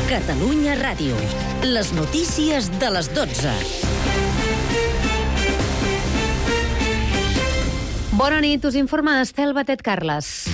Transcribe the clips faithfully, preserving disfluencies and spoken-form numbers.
Catalunya Ràdio. Les notícies de les dotze. Bona nit, us informa Estel Batet Carles.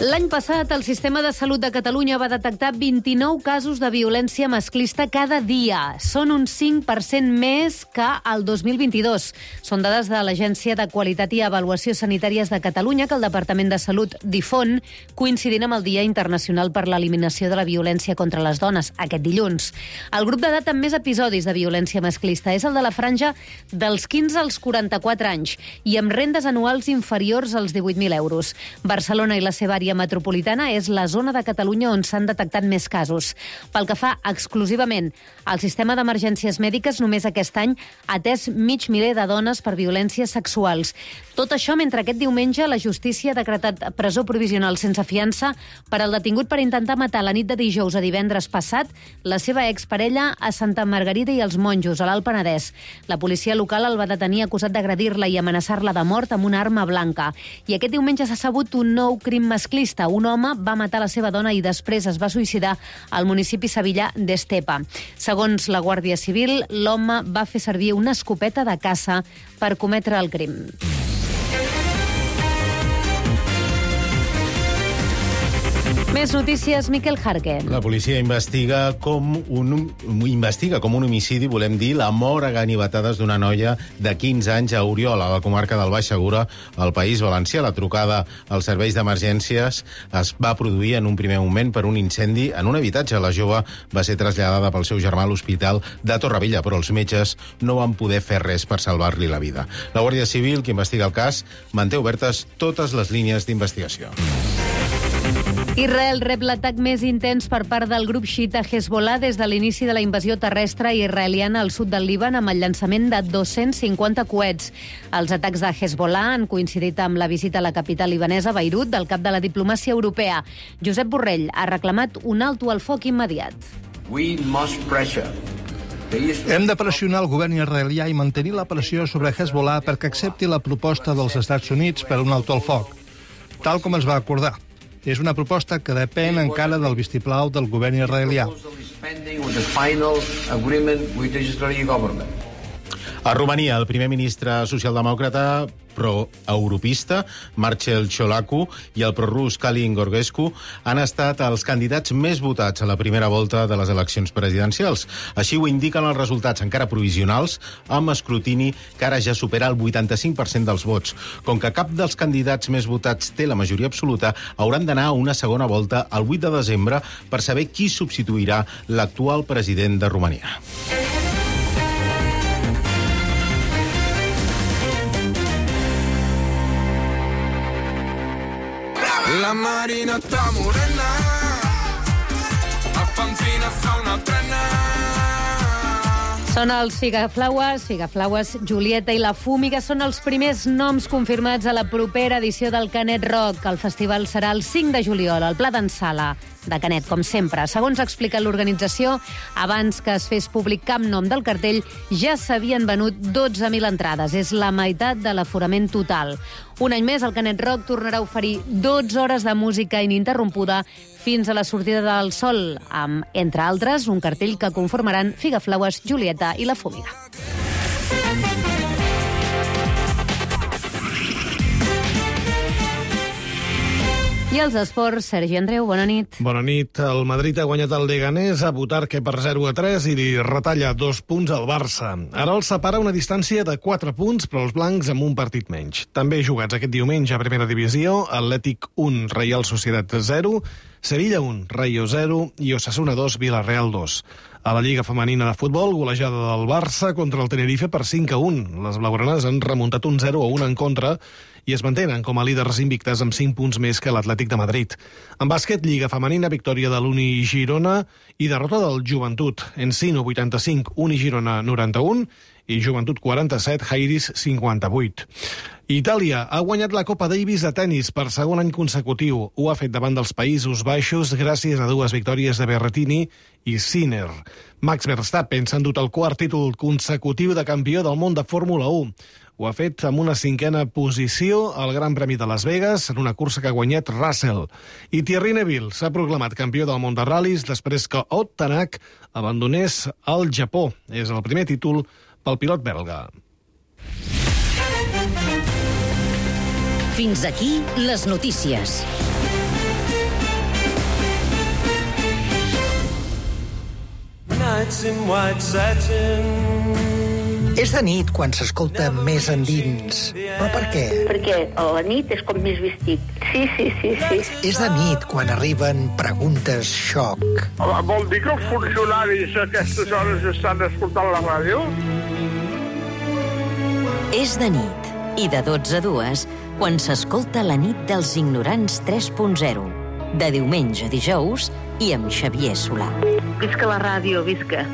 L'any passat, el Sistema de Salut de Catalunya va detectar vint-i-nou casos de violència masclista cada dia. Són un cinc per cent més que el dos mil vint-i-dos. Són dades de l'Agència de Qualitat i Avaluació Sanitàries de Catalunya que el Departament de Salut difon, coincidint amb el Dia Internacional per l'Eliminació de la Violència contra les Dones, aquest dilluns. El grup d'edat amb més episodis de violència masclista és el de la franja dels quinze als quaranta-quatre anys i amb rendes anuals inferiors als divuit mil euros. Barcelona i la seva àrea metropolitana és la zona de Catalunya on s'han detectat més casos. Pel que fa exclusivament al sistema d'emergències mèdiques, només aquest any ha atès mig miler de dones per violències sexuals. Tot això mentre aquest diumenge la justícia ha decretat presó provisional sense fiança per al detingut per intentar matar la nit de dijous a divendres passat la seva exparella a Santa Margarida i els Monjos, a l'Alt Penedès. La policia local el va detenir acusat d'agredir-la i amenaçar-la de mort amb una arma blanca. I aquest diumenge s'ha sabut un nou crim masclista. Un home va matar la seva dona i després es va suïcidar al municipi sevillà d'Estepa. Segons la Guàrdia Civil, l'home va fer servir una escopeta de caça per cometre el crim. Més notícies, Miquel Jarque. La policia investiga com un, investiga com un homicidi, volem dir, la mort a ganivetades d'una noia de quinze anys a Oriola, a la comarca del Baix Segura, al País Valencià. La trucada als serveis d'emergències es va produir en un primer moment per un incendi en un habitatge. La jove va ser traslladada pel seu germà a l'hospital de Torrevella, però els metges no van poder fer res per salvar-li la vida. La Guàrdia Civil, que investiga el cas, manté obertes totes les línies d'investigació. Israel rep l'atac més intens per part del grup xiita Hezbollah des de l'inici de la invasió terrestre israeliana al sud del Líban amb el llançament de dos-cents cinquanta coets. Els atacs de Hezbollah han coincidit amb la visita a la capital libanesa, Beirut, del cap de la diplomàcia europea. Josep Borrell ha reclamat un alto al foc immediat. We must pressure. Hem de pressionar el govern israelià i mantenir la pressió sobre Hezbollah perquè accepti la proposta dels Estats Units per un alto al foc, tal com es va acordar. És una proposta que depèn encara del vistiplau del govern israelià. A Romania, el primer ministre socialdemòcrata pro-europista, Marcel Ciolacu, i el prorus Călin Gorgescu han estat els candidats més votats a la primera volta de les eleccions presidencials. Així ho indiquen els resultats encara provisionals, amb escrutini que ara ja supera el vuitanta-cinc per cent dels vots. Com que cap dels candidats més votats té la majoria absoluta, hauran d'anar a una segona volta el vuit de desembre per saber qui substituirà l'actual president de Romania. La Marina està morena, a Pampina fa una trena. Són els Figaflaues, Figaflaues, Julieta i la Fúmiga. Són els primers noms confirmats a la propera edició del Canet Rock. El festival serà el cinc de juliol, al Pla d'en Sala de Canet, com sempre. Segons explica l'organització, abans que es fes públic cap nom del cartell, ja s'havien venut dotze mil entrades. És la meitat de l'aforament total. Un any més, el Canet Rock tornarà a oferir dotze hores de música ininterrompuda fins a la sortida del sol, amb, entre altres, un cartell que conformaran Figaflaues, Julieta i la Fúmiga. I els esports, Sergi Andreu, bona nit. Bona nit. El Madrid ha guanyat el Leganés a Butarque per zero a tres i li retalla dos punts al Barça. Ara els separa una distància de quatre punts, però els blancs amb un partit menys. També jugats aquest diumenge a Primera Divisió, Atlètic un, Reial Societat zero, Sevilla un, Rayo zero i Osasuna dos, Villarreal dos. A la Lliga Femenina de Futbol, golejada del Barça contra el Tenerife per cinc a un. Les blaugranes han remuntat un zero a un en contra i es mantenen com a líders invictes amb cinc punts més que l'Atlètic de Madrid. En bàsquet, Lliga Femenina, victòria de l'Uni Girona i derrota del Joventut. Encino vuitanta-cinc, Uni Girona noranta-un i Joventut quaranta-set, Jairis cinquanta-vuit. Itàlia ha guanyat la Copa Davis de tennis per segon any consecutiu. Ho ha fet davant dels Països Baixos gràcies a dues victòries de Berrettini i Sinner. Max Verstappen s'ha endut el quart títol consecutiu de campió del món de Fórmula u. Ho ha fet amb una cinquena posició al Gran Premi de Las Vegas, en una cursa que ha guanyat Russell. I Thierry Neville s'ha proclamat campió del món de ral·lis després que Ott Tanak abandonés el Japó. És el primer títol pel pilot belga. Fins aquí les notícies. És de nit quan s'escolta més endins. Però per què? Perquè a la nit és com més vestit. Sí, sí, sí, sí. És de nit quan arriben preguntes xoc. Vol dir que els funcionaris a aquestes hores estan escoltant la ràdio? És de nit, i de dotze a dues, quan s'escolta la nit dels ignorants tres punt zero. De diumenge a dijous i amb Xavier Solà. Visca la ràdio, visca.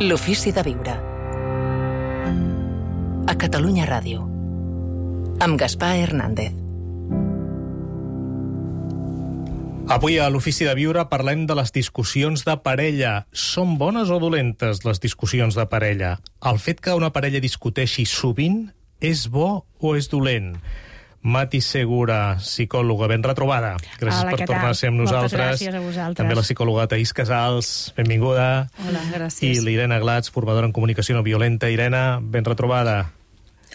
L'ofici de viure. A Catalunya Ràdio. Amb Gaspar Hernández. Avui a l'Ofici de Viure parlem de les discussions de parella. Són bones o dolentes les discussions de parella? El fet que una parella discuteixi sovint és bo o és dolent? Mati Segura, psicòloga, ben retrobada. Gràcies Hola, per tornar a ser amb Moltes nosaltres. gràcies a vosaltres. També la psicòloga Taís Casals, benvinguda. Hola, gràcies. I l'Irena Glats, formadora en comunicació no violenta. Irena, ben retrobada.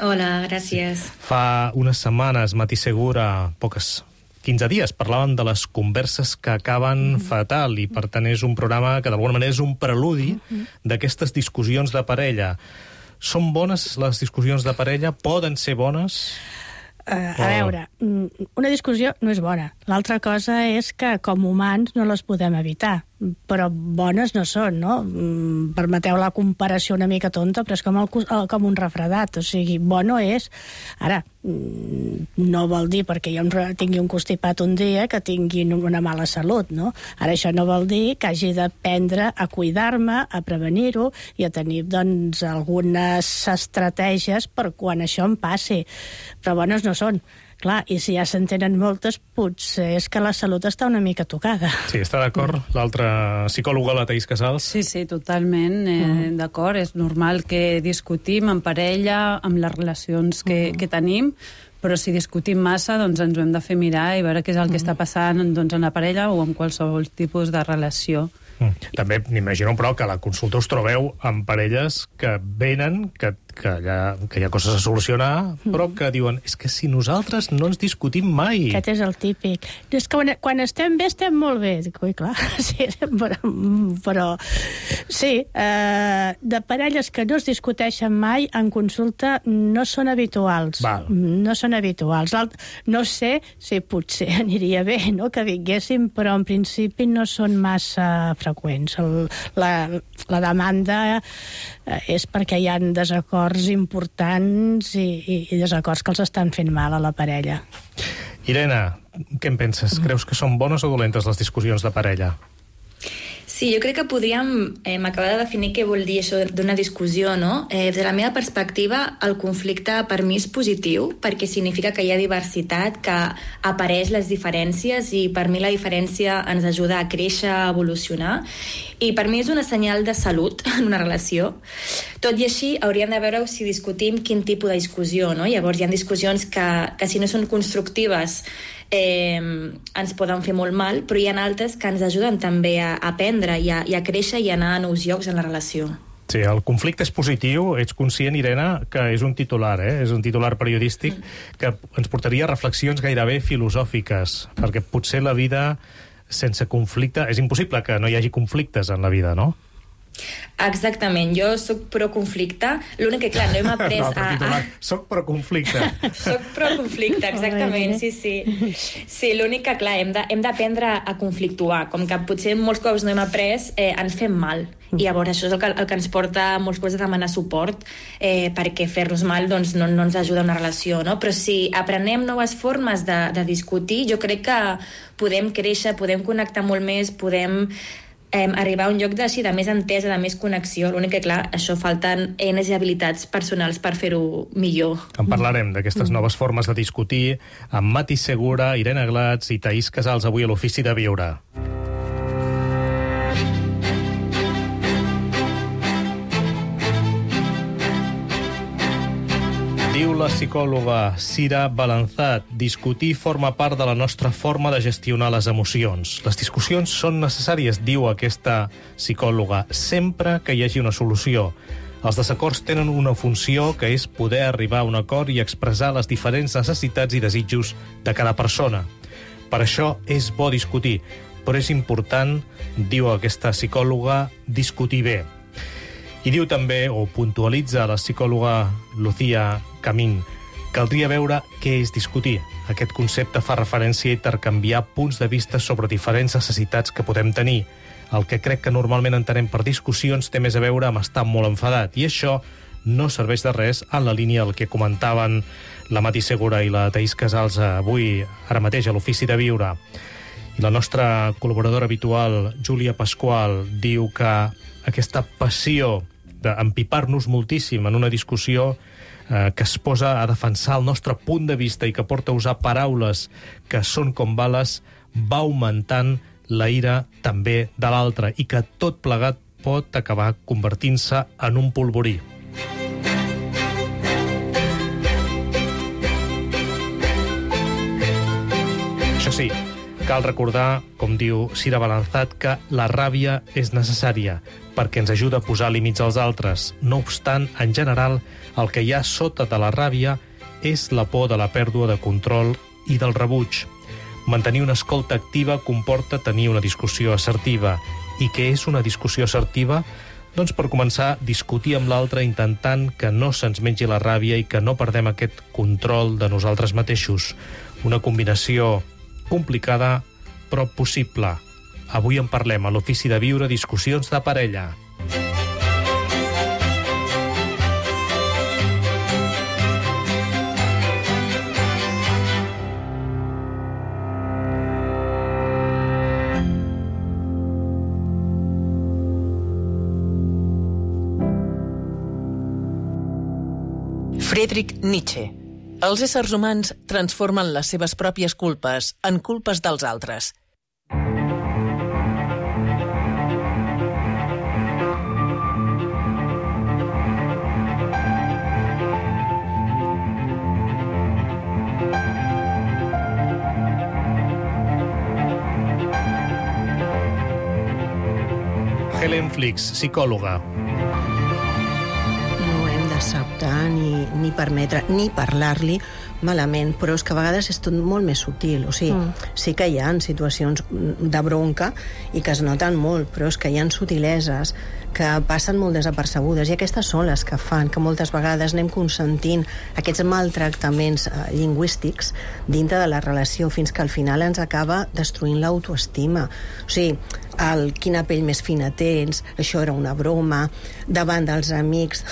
Hola, gràcies. Fa unes setmanes, Mati Segura, poques, quinze dies, parlàvem de les converses que acaben mm-hmm. fatal i, per tant, és un programa que d'alguna manera és un preludi mm-hmm. d'aquestes discussions de parella. Són bones les discussions de parella? Poden ser bones? Uh, a veure, una discussió no és bona. L'altra cosa és que com humans no les podem evitar, però bones no són, no? Permeteu la comparació una mica tonta, però és com, el, com un refredat, o sigui, bo no és. Ara, no vol dir perquè jo tingui un constipat un dia que tingui una mala salut, no? Ara això no vol dir que hagi d'aprendre a cuidar-me, a prevenir-ho i a tenir, doncs, algunes estratègies per quan això em passi. Però bones no són. Clar, i si ja se'n tenen moltes, potser és que la salut està una mica tocada. Sí, està d'acord? Mm. L'altra psicòloga, la Taís Casals? Sí, sí, totalment eh, mm. d'acord. És normal que discutim en parella, amb les relacions que, mm. que tenim, però si discutim massa, doncs ens ho hem de fer mirar i veure què és el que mm. està passant doncs, en la parella o en qualsevol tipus de relació. Mm. També m'imagino, però, que a la consulta us trobeu amb parelles que venen, que, que, hi ha, que hi ha coses a solucionar, però que diuen, és que si nosaltres no ens discutim mai... Aquest és el típic. És que quan, quan estem bé, estem molt bé. Dic, ui, clar, sí, però... però sí, eh, de parelles que no es discuteixen mai, en consulta no són habituals. Val. No són habituals. No sé si potser aniria bé, no?, que vinguessin, però en principi no són massa freqüents. El, la, la demanda eh, és perquè hi ha desacords importants i, i, i desacords que els estan fent mal a la parella. Irena, què en penses? Creus que són bones o dolentes les discussions de parella? Sí, jo crec que podríem eh, acabar de definir què vol dir això d'una discussió, no? Eh, des de la meva perspectiva, el conflicte per mi és positiu, perquè significa que hi ha diversitat, que apareix les diferències, i per mi la diferència ens ajuda a créixer, a evolucionar, i per mi és una senyal de salut en una relació. Tot i així, hauríem de veure si discutim quin tipus de discussió, no? Llavors, hi ha discussions que, que si no són constructives, Eh, ens poden fer molt mal, però hi ha altres que ens ajuden també a aprendre i a, i a créixer i a anar a nous llocs en la relació. Sí, el conflicte és positiu. Ets conscient, Irene, que és un titular, eh? És un titular periodístic que ens portaria a reflexions gairebé filosòfiques, perquè potser la vida sense conflicte... És impossible que no hi hagi conflictes en la vida, no? Exactament, jo sóc pro-conflicte, l'únic que, clar, no hem après... No, a, a... Soc pro-conflicte. Soc pro-conflicte, exactament, sí, sí. Sí, l'únic que, clar, hem d'aprendre a conflictuar, com que potser molts cops no hem après, eh, ens fem mal. I llavors això és el que, el que ens porta molts cops a demanar suport, eh, perquè fer-nos mal doncs, no, no ens ajuda a una relació, no? Però si aprenem noves formes de, de discutir, jo crec que podem créixer, podem connectar molt més, podem eh, arribar a un lloc de, sí, de més entesa, de més connexió. L'únic que, clar, això falten eines i habilitats personals per fer-ho millor. En parlarem d'aquestes noves formes de discutir amb Mati Segura, Irene Glats i Taís Casals avui a l'Ofici de Viure. Diu la psicòloga Sira Balanzat, discutir forma part de la nostra forma de gestionar les emocions. Les discussions són necessàries, diu aquesta psicòloga, sempre que hi hagi una solució. Els desacords tenen una funció que és poder arribar a un acord i expressar les diferents necessitats i desitjos de cada persona. Per això és bo discutir, però és important, diu aquesta psicòloga, discutir bé. I diu també, o puntualitza la psicòloga Lucía Camín, caldria veure què és discutir. Aquest concepte fa referència a intercanviar punts de vista sobre diferents necessitats que podem tenir. El que crec que normalment entenem per discussions té més a veure amb estar molt enfadat, i això no serveix de res en la línia del que comentaven la Mati Segura i la Taís Casals avui, ara mateix, a l'Ofici de Viure. I la nostra col·laboradora habitual, Júlia Pasqual, diu que aquesta passió d'empipar-nos moltíssim en una discussió eh, que es posa a defensar el nostre punt de vista i que porta a usar paraules que són com bales, va augmentant la ira també de l'altre i que tot plegat pot acabar convertint-se en un polvorí. Això sí, cal recordar, com diu Sira Balanzat, que la ràbia és necessària perquè ens ajuda a posar límits als altres. No obstant, en general, el que hi ha sota de la ràbia és la por de la pèrdua de control i del rebuig. Mantenir una escolta activa comporta tenir una discussió assertiva. I què és una discussió assertiva? Doncs per començar, discutir amb l'altre intentant que no se'ns mengi la ràbia i que no perdem aquest control de nosaltres mateixos. Una combinació complicada, però possible. Avui en parlem a l'Ofici de Viure, discussions de parella. Friedrich Nietzsche. Els éssers humans transformen les seves pròpies culpes en culpes dels altres. Helen Flix, psicòloga. No hem d'acceptar ni, ni permetre, ni parlar-li malament, però és que a vegades és tot molt més sutil. O sigui, mm. sí que hi ha situacions de bronca i que es noten molt, però és que hi ha sutileses que passen molt desapercebudes, i aquestes són les que fan que moltes vegades anem consentint aquests maltractaments eh, lingüístics dintre de la relació, fins que al final ens acaba destruint l'autoestima. O sigui, el quina pell més fina tens, això era una broma, davant dels amics,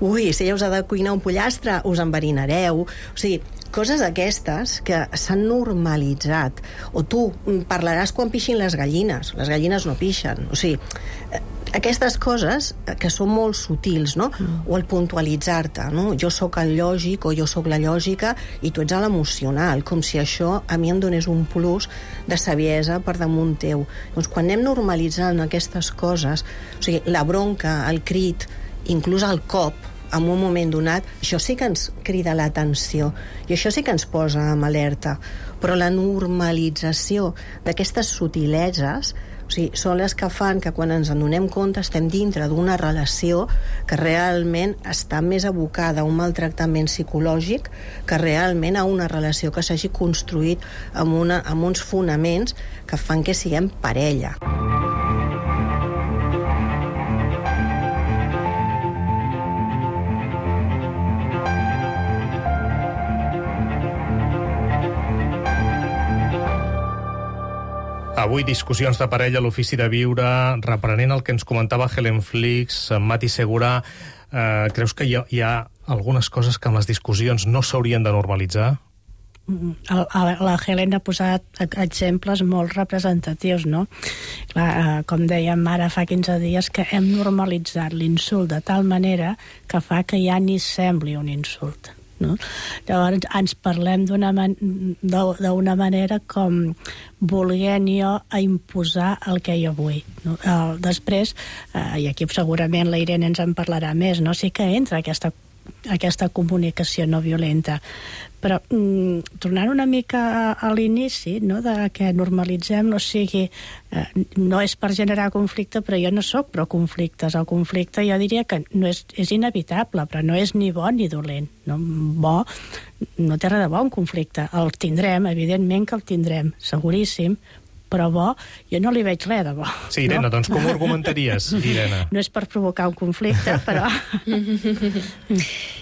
ui, si ja us ha de cuinar un pollastre, us enverinareu. O sigui, coses aquestes que s'han normalitzat. O tu parlaràs quan pixin les gallines. Les gallines no pixen. O sigui, aquestes coses que són molt sutils, no? Mm. O el puntualitzar-te, no? Jo sóc el lògic o jo sóc la lògica i tu ets l'emocional, com si això a mi em donés un plus de saviesa per damunt teu. Doncs quan anem normalitzant aquestes coses, o sigui, la bronca, el crit, inclús el cop, en un moment donat, això sí que ens crida l'atenció i això sí que ens posa en alerta, però la normalització d'aquestes sutileses O sigui, són les que fan que quan ens en donem compte estem dintre d'una relació que realment està més abocada a un maltractament psicològic que realment a una relació que s'hagi construït amb, una, amb uns fonaments que fan que siguem parella. Avui discussions de parella a l'Ofici de Viure, reprenent el que ens comentava Helen Flix, Mati Segura. Eh, creus que hi ha, hi ha algunes coses que en les discussions no s'haurien de normalitzar? La Helen ha posat exemples molt representatius, no? Clar, com dèiem ara fa quinze dies, que hem normalitzat l'insult de tal manera que fa que ja ni sembli un insult. No? Llavors ens parlem d'una man d'una manera com volent jo a imposar el que jo vull, no? Uh, després, uh, i aquí segurament la Irene ens en parlarà més, no? Sí que entra aquesta, aquesta comunicació no violenta, però mm, tornant una mica a, a l'inici, no? De que normalitzem, no sigui eh, no és per generar conflicte, però jo no sóc pro conflictes. El conflicte jo diria que no és, és inevitable, però no és ni bo ni dolent, no? Bo, no té res de bo un conflicte, el tindrem, evidentment que el tindrem, seguríssim, però bo, jo no li veig res de bo. Sí, Irene, no? Doncs com ho argumentaries, Irene? No és per provocar un conflicte, però...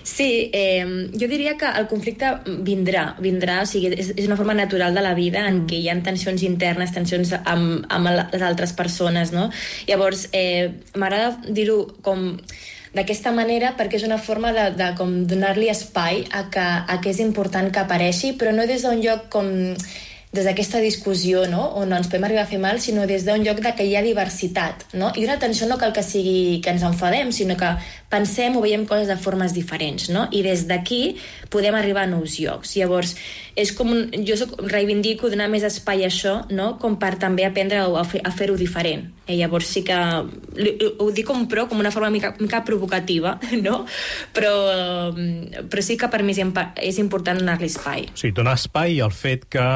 Sí, eh, jo diria que el conflicte vindrà, vindrà, o sigui, és, és una forma natural de la vida en què hi ha tensions internes, tensions amb, amb les altres persones, no? Llavors, eh, m'agrada dir-ho com d'aquesta manera perquè és una forma de, de com donar-li espai a que, a que és important que apareixi, però no des d'un lloc com... des d'aquesta discussió, no? On no ens podem arribar a fer mal, sinó des d'un lloc de que hi ha diversitat, no? I una tensió no cal que sigui que ens enfadem, sinó que pensem o veiem coses de formes diferents, no? I des d'aquí podem arribar a nous llocs. Llavors, és com un, jo soc, reivindico donar més espai a això, no? Com per també aprendre a, fer, a fer-ho diferent. I llavors sí que ho dic com pro, com una forma mica, mica provocativa, no? Però, però sí que per mi és important donar-li espai. O sigui, donar espai al fet que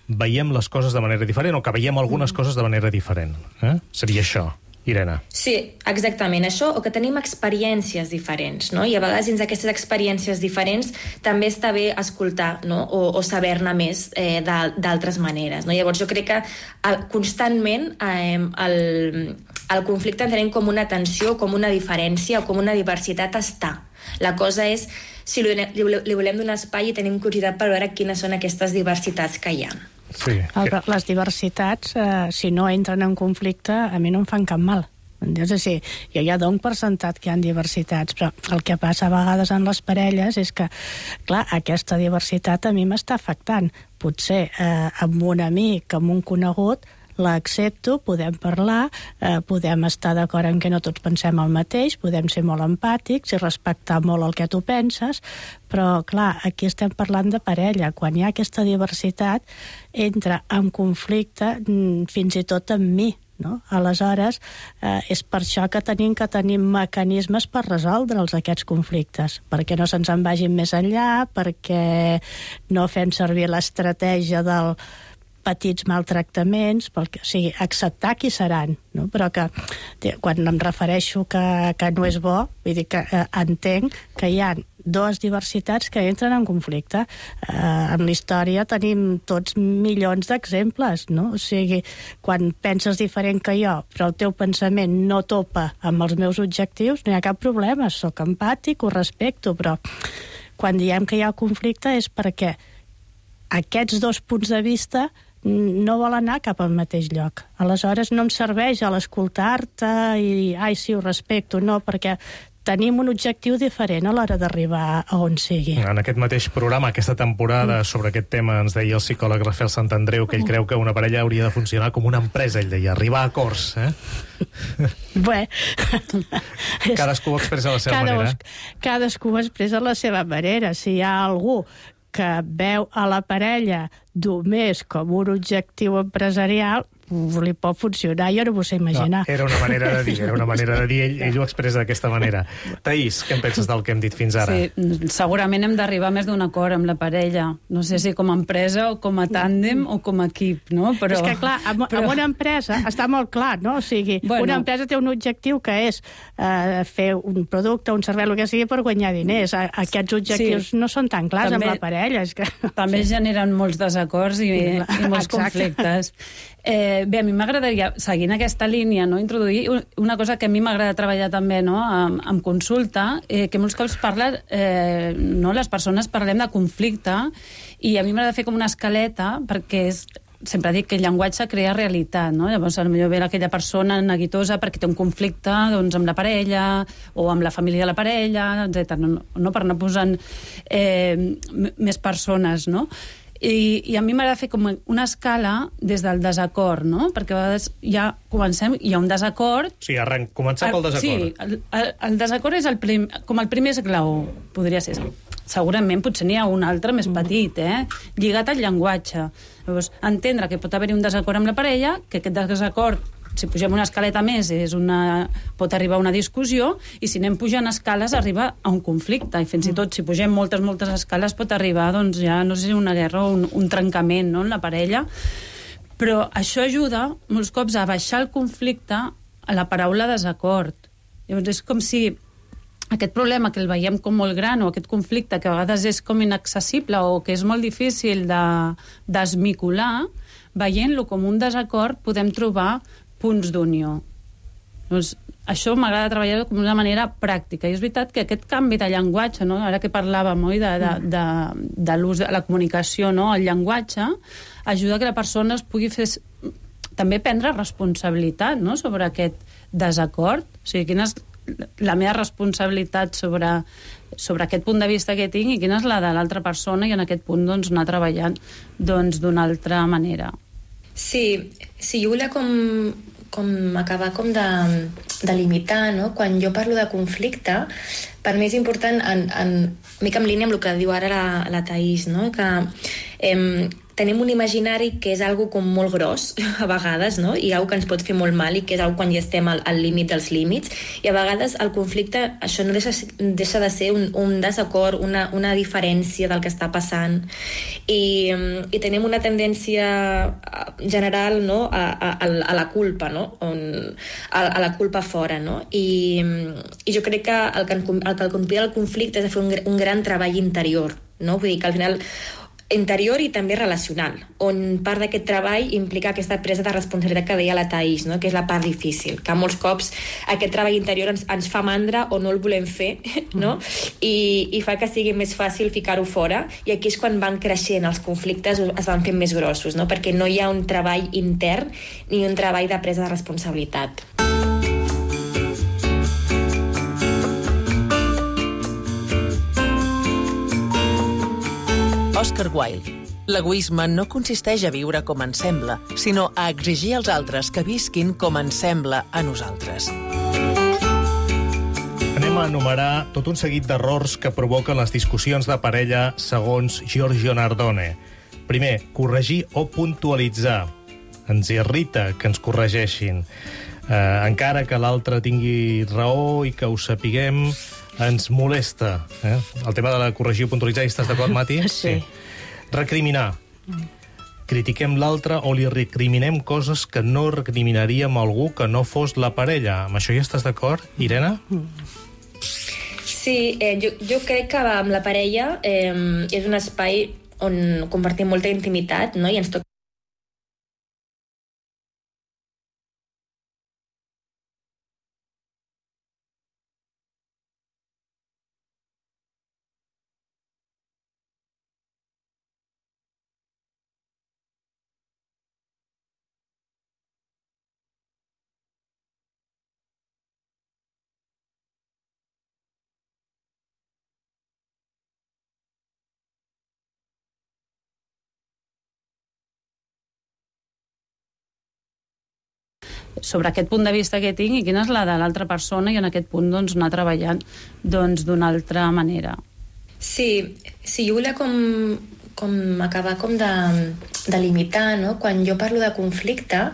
veiem les coses de manera diferent o que veiem algunes coses de manera diferent. Eh? Seria això, Irene. Sí, exactament, això, o que tenim experiències diferents, no? I a vegades dins d'aquestes experiències diferents també està bé escoltar, no? O, o saber-ne més eh, d'altres maneres, no? Llavors jo crec que el, constantment eh, el, el conflicte entenem com una tensió, com una diferència o com una diversitat està. La cosa és si li, li, li volem donar espai i tenim curiositat per veure quines són aquestes diversitats que hi ha. Sí. El, les diversitats, eh, si no entren en conflicte, a mi no em fan cap mal. És a dir, jo ja dono per sentat que hi ha diversitats, però el que passa a vegades en les parelles és que, clar, aquesta diversitat a mi m'està afectant. Potser eh, amb un amic, amb un conegut, l'accepto, podem parlar, eh, podem estar d'acord en que no tots pensem el mateix, podem ser molt empàtics i respectar molt el que tu penses, però, clar, aquí estem parlant de parella. Quan hi ha aquesta diversitat, entra en conflicte fins i tot amb mi, no? Aleshores, eh, és per això que tenim que tenir mecanismes per resoldre'ls, aquests conflictes, perquè no se'ns en vagin més enllà, perquè no fem servir l'estratègia del petits maltractaments, perquè, o sigui, acceptar qui seran, no? Però que quan em refereixo que, que no és bo, vull dir que eh, entenc que hi ha dues diversitats que entren en conflicte. Eh, en la història tenim tots milions d'exemples, no? O sigui, quan penses diferent que jo, però el teu pensament no topa amb els meus objectius, no hi ha cap problema, sóc empàtic, ho respecto, però quan diem que hi ha conflicte és perquè aquests dos punts de vista no vol anar cap al mateix lloc. Aleshores no em serveix a l'escoltar-te i, ai, sí, ho respecto, no, perquè tenim un objectiu diferent a l'hora d'arribar a on sigui. En aquest mateix programa, aquesta temporada, mm. sobre aquest tema, ens deia el psicòleg Rafael Santandreu que ell creu que una parella hauria de funcionar com una empresa, ell deia, arribar a acords, eh? Bé... Cadascú ho expressa a la seva Cada, manera. Cadascú ho expressa a la seva manera. Si hi ha algú que veu a la parella només com un objectiu empresarial, li pot funcionar, jo no m'ho sé imaginar. No, era una manera de dir, era una manera de dir, ell, ell ho expressa d'aquesta manera. Taís, què en penses del que hem dit fins ara? Sí, segurament hem d'arribar a més d'un acord amb la parella. No sé si com a empresa o com a tàndem o com a equip, no? Però, és que, clar, amb, però... amb una empresa està molt clar, no? O sigui, bueno, una empresa té un objectiu que és eh, fer un producte, un servei, el que sigui, per guanyar diners. Aquests objectius sí. no són tan clars també, amb la parella. És que... També sí. generen molts desacords i, i molts Exacte. conflictes. Eh, bé, a mi m'agradaria, seguint aquesta línia, no, introduir una cosa que a mi m'agrada treballar també, no, amb, amb consulta, eh, que molts cops parla, eh, no, les persones parlem de conflicte, i a mi m'agrada fer com una escaleta, perquè és, sempre dic que el llenguatge crea realitat, no? Llavors, potser ve aquella persona neguitosa perquè té un conflicte doncs, amb la parella o amb la família de la parella, etcètera. No, no per anar posant eh, més persones, no? I, i a mi m'agrada fer com una escala des del desacord, no? Perquè a vegades ja comencem, hi ha un desacord... Sí, arrenc, començar pel desacord. Sí, el, el, el desacord és el prim, com el primer esglaó, podria ser. Segurament potser n'hi ha un altre més petit, eh? Lligat al llenguatge. Llavors, entendre que pot haver-hi un desacord amb la parella, que aquest desacord, si pugem una escaleta més, és una... pot arribar a una discussió, i si anem pujant escales arriba a un conflicte, i fins i tot si pugem moltes, moltes escales pot arribar, doncs ja, no sé si una guerra o un, un trencament, no?, en la parella. Però això ajuda molts cops a baixar el conflicte a la paraula desacord. Llavors és com si aquest problema que el veiem com molt gran, o aquest conflicte que a vegades és com inaccessible o que és molt difícil de desmicular, veient-lo com un desacord podem trobar punts d'unió. Doncs això m'agrada treballar com una manera pràctica. I és veritat que aquest canvi de llenguatge, no? Ara que parlàvem oi, de, de, de, de l'ús de la comunicació, no? El llenguatge ajuda que la persona es pugui fer també prendre responsabilitat, no?, sobre aquest desacord. O sigui, quina és la meva responsabilitat sobre, sobre aquest punt de vista que tinc i quina és la de l'altra persona, i en aquest punt doncs, anar treballant doncs, d'una altra manera. Sí, sí, jo volia com, com acabar com de, de limitar, no? Quan jo parlo de conflicte, per mi és important, en, en, mica en línia amb el que diu ara la, la Taís, no? Que eh, tenim un imaginari que és algo com molt gros, a vegades, no? I algo que ens pot fer molt mal, i que és algo quan ja estem al, al límit dels límits, i a vegades el conflicte, això no deixa, deixa de ser un, un desacord, una, una diferència del que està passant, i, i tenim una tendència general, no?, a, a, a la culpa, no?, On, a, a la culpa fora, no? I, i jo crec que el que, el que convida al conflicte és de fer un, un gran treball interior, no? Vull dir que al final interior i també relacional, on part d'aquest treball implica aquesta presa de responsabilitat que deia la Taís, no?, que és la part difícil, que molts cops aquest treball interior ens, ens fa mandra o no el volem fer, no? I, i fa que sigui més fàcil ficar-ho fora, i aquí és quan van creixent els conflictes, es van fent més grossos, no?, perquè no hi ha un treball intern ni un treball de presa de responsabilitat. Oscar Wilde. L'egoisme no consisteix a viure com ens sembla, sinó a exigir als altres que visquin com ens sembla a nosaltres. Anem a enumerar tot un seguit d'errors que provoquen les discussions de parella segons Giorgio Nardone. Primer, corregir o puntualitzar. Ens irrita que ens corregeixin. Eh, encara que l'altre tingui raó i que ho sapiguem, ens molesta. Eh? El tema de la corregir o puntualitzar, hi estàs d'acord, Mati? Sí. sí. Recriminar. Critiquem l'altre o li recriminem coses que no recriminaríem a algú que no fos la parella. Amb això hi estàs d'acord, Irene? Sí, eh, jo, jo crec que amb la parella eh, és un espai on compartim molta intimitat, no?, i ens toca sobre aquest punt de vista que tinc i quina és la de l'altra persona, i en aquest punt doncs, anar treballant doncs, d'una altra manera. Sí, sí, jo volia com, com acabar com de, de limitar, no? Quan jo parlo de conflicte,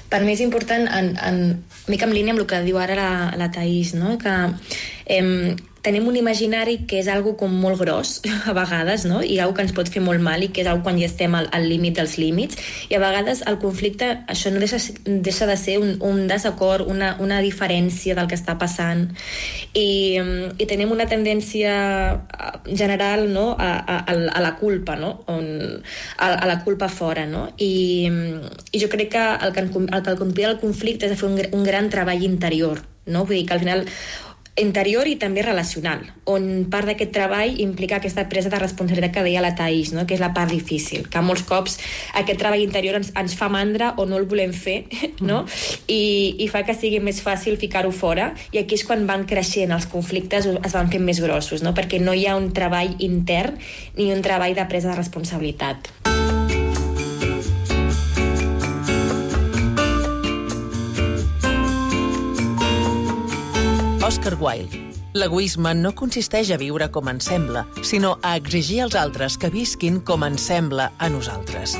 per mi és important, en, en, mica en línia amb el que diu ara la, la Thaís, no? Que eh, tenim un imaginari que és algo com molt gros, a vegades, no? I algo que ens pot fer molt mal i que és algo quan ja estem al, al límit dels límits. I a vegades el conflicte, això no deixa, deixa de ser un, un desacord, una, una diferència del que està passant. I, i tenim una tendència general, no? a, a, a la culpa, no? On, a, a la culpa fora, no? I, i jo crec que el que, el que convida el conflicte és de fer un, un gran treball interior, no? Vull dir que al final interior i també relacional, on part d'aquest treball implica aquesta presa de responsabilitat que deia la Thaís, no? Que és la part difícil, que molts cops aquest treball interior ens, ens fa mandra o no el volem fer, no? I, i fa que sigui més fàcil ficar-ho fora, i aquí és quan van creixent els conflictes, es van fent més grossos, no? Perquè no hi ha un treball intern ni un treball de presa de responsabilitat. Oscar Wilde. L'egoisme no consisteix a viure com ens sembla, sinó a exigir als altres que visquin com ens sembla a nosaltres.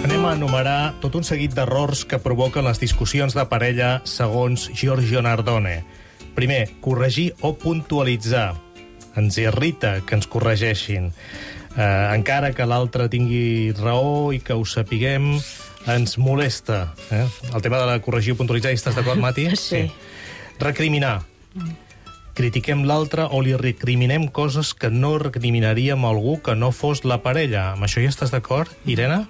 Anem a enumerar tot un seguit d'errors que provoquen les discussions de parella segons Giorgio Nardone. Primer, corregir o puntualitzar. Ens irrita que ens corregeixin. Eh, encara que l'altre tingui raó i que ho sapiguem, ens molesta. Eh? El tema de la corregir o puntualitzar, hi estàs d'acord, Mati? Sí. sí. Recriminar. Critiquem l'altre o li recriminem coses que no recriminaríem a algú que no fos la parella. Amb això hi estàs d'acord, Irene?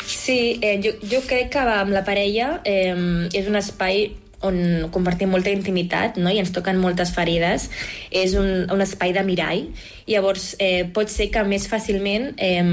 Sí, eh, jo, jo crec que amb la parella eh, és un espai on compartim molta intimitat, no? I ens toquen moltes ferides. És un, un espai de mirall. Llavors, eh, pot ser que més fàcilment eh,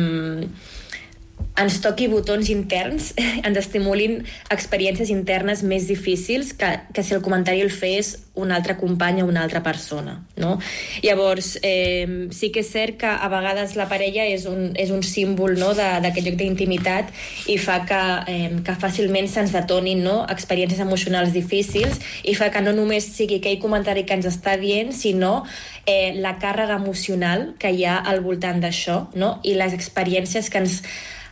ens toqui botons interns, ens estimulin experiències internes més difícils que, que si el comentari el fes un altre company o una altra persona, no? Llavors, eh, sí que és cert que a vegades la parella és un, és un símbol, no?, d'aquest lloc d'intimitat i fa que, eh, que fàcilment se'ns detonin, no?, experiències emocionals difícils i fa que no només sigui aquell comentari que ens està dient, sinó eh, la càrrega emocional que hi ha al voltant d'això, no?, i les experiències que ens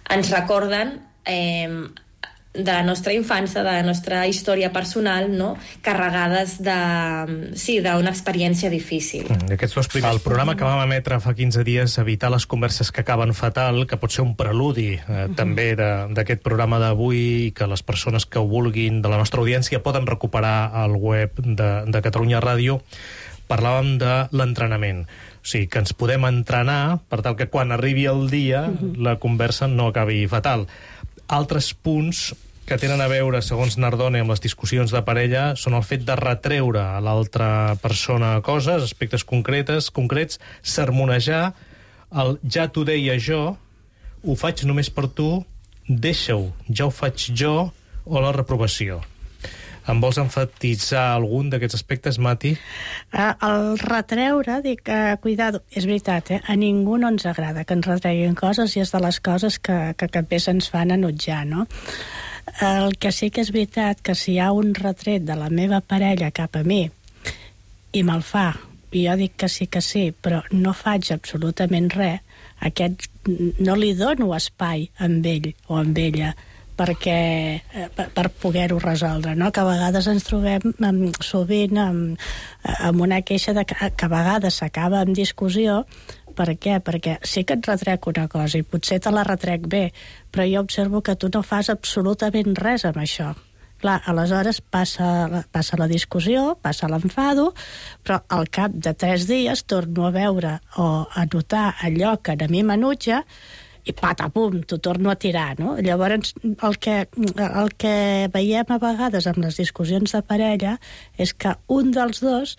ens recorden eh, de la nostra infància, de la nostra història personal, no?, carregades de, sí, d'una experiència difícil. Mm, aquests dos primers. El programa que vam emetre fa quinze dies, Evitar les converses que acaben fatal, que pot ser un preludi eh, uh-huh. també d'aquest programa d'avui, que les persones que ho vulguin de la nostra audiència poden recuperar al web de, de Catalunya Ràdio. Parlàvem de l'entrenament. O sigui, que ens podem entrenar per tal que quan arribi el dia uh-huh. la conversa no acabi fatal. Altres punts que tenen a veure, segons Nardone, amb les discussions de parella són el fet de retreure a l'altra persona coses, aspectes concretes, concrets, sermonejar, el ja t'ho deia jo, ho faig només per tu, deixa-ho, ja ho faig jo, o la reprovació. Em vols enfatitzar algun d'aquests aspectes, Mati? Uh, el retreure, dic, uh, cuidado, és veritat, eh? A ningú no ens agrada que ens retreguin coses i és de les coses que, que, que més ens fan enutjar, no? El que sí que és veritat que si hi ha un retret de la meva parella cap a mi i me'l fa, i jo dic que sí que sí, però no faig absolutament res, aquest, no li dono espai amb ell o amb ella perquè, per, per poder-ho resoldre, no? Que a vegades ens trobem amb, sovint amb, amb una queixa de que, que a vegades s'acaba amb discussió. Per què? Perquè sí que et retrec una cosa i potser te la retrec bé, però jo observo que tu no fas absolutament res amb això. Clar, aleshores passa, passa la discussió, passa l'enfado, però al cap de tres dies torno a veure o a notar allò que a mi m'enutja i patapum, t'ho torno a tirar, no? Llavors, el que, el que veiem a vegades amb les discussions de parella és que un dels dos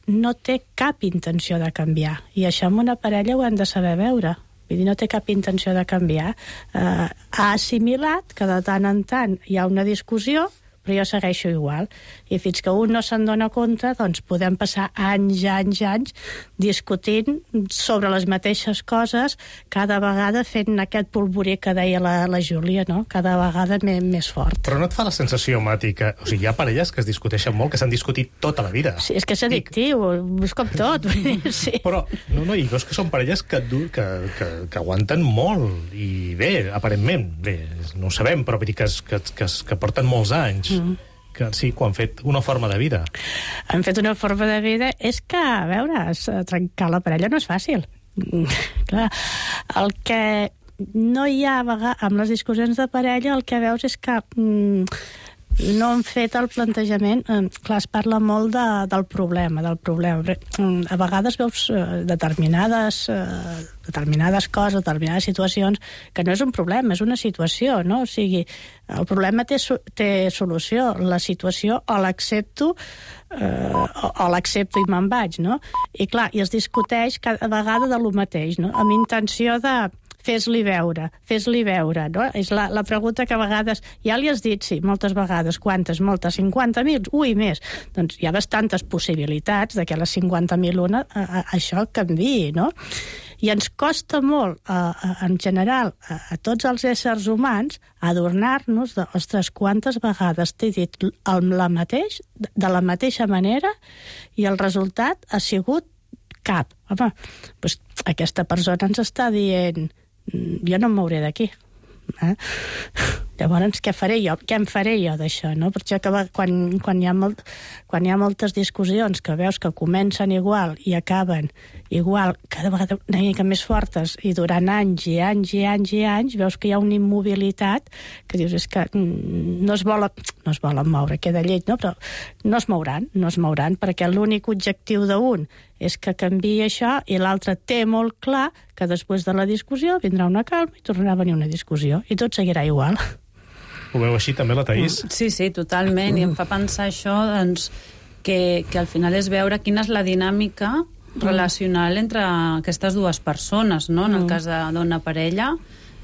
no té cap intenció de canviar. I això en una parella ho hem de saber veure. Vull dir, no té cap intenció de canviar. Eh, ha assimilat que de tant en tant hi ha una discussió, però jo segueixo igual. I fins que un no se'n dona compte, doncs podem passar anys, anys, anys discutint sobre les mateixes coses, cada vegada fent aquest polvorí que deia la, la Júlia, no? Cada vegada més, més fort. Però no et fa la sensació, Mati, que o sigui, hi ha parelles que es discuteixen molt, que s'han discutit tota la vida. Sí, és que és addictiu, és com tot. Sí. Però, no, no, i veus que són parelles que, que, que, que aguanten molt, i bé, aparentment, bé, no ho sabem, però vull dir que, que, que, que porten molts anys. Mm. Que sí, que han fet una forma de vida. Han fet una forma de vida. És que, a veure, trencar la parella no és fàcil. Clar, el que no hi ha, amb les discussions de parella, el que veus és que mm, no han fet el plantejament. Clar, es parla molt de, del problema, del problema. A vegades veus determinades, determinades coses, determinades situacions, que no és un problema, és una situació, no? O sigui, el problema té, té solució. La situació o l'accepto eh, o, o l'accepto i me'n vaig, no? I clar, i es discuteix cada vegada de lo mateix, no? Amb intenció de fes-li veure, fes-li veure, no? És la, la pregunta que a vegades... Ja li has dit, sí, moltes vegades. Quantes? Moltes? cinquanta mil? Ui, més. Doncs hi ha bastantes possibilitats de que a les cinquanta mil una a, a, això canviï, no? I ens costa molt, a, a, en general, a, a tots els éssers humans, adornar-nos de, ostres, quantes vegades t'he dit el, la mateix, de la mateixa manera, i el resultat ha sigut cap. Home, doncs aquesta persona ens està dient jo no em mouré d'aquí. Eh? Llavors, què faré jo? Què em faré jo d'això? No? Per això que quan, quan, hi ha molt, quan hi ha moltes discussions que veus que comencen igual i acaben igual, cada vegada una mica més fortes, i durant anys i anys i anys i anys veus que hi ha una immobilitat que dius, és que no es volen, no es volen moure, queda lleig, no? Però no es mouran, no es mouran, perquè l'únic objectiu d'un és que canviï això, i l'altre té molt clar que després de la discussió vindrà una calma i tornarà a venir una discussió, i tot seguirà igual. Ho veu així també, la Thaís? Sí, sí, totalment, i em fa pensar això, doncs, que, que al final és veure quina és la dinàmica relacional entre aquestes dues persones, no? En el cas de dona-parella,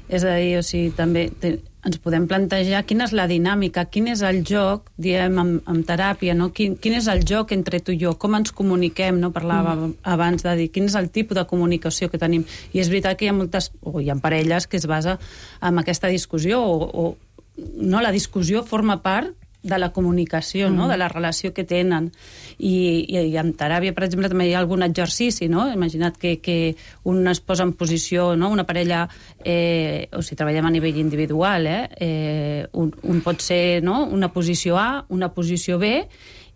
és a dir, o sigui, també te, ens podem plantejar quina és la dinàmica, quin és el joc, diem, en, en teràpia, no? Quin, quin és el joc entre tu i jo, com ens comuniquem, no? Parlava mm. abans de dir quin és el tipus de comunicació que tenim, i és veritat que hi ha moltes, o hi ha parelles que es basa en aquesta discussió, o, o no, la discussió forma part de la comunicació, mm. no? De la relació que tenen. I, i, i en teràpia, per exemple, també hi ha algun exercici, no? Imagina't que, que un es posa en posició, no? Una parella, eh, o si treballem a nivell individual, eh? Eh, un, un pot ser, no? Una posició A, una posició B,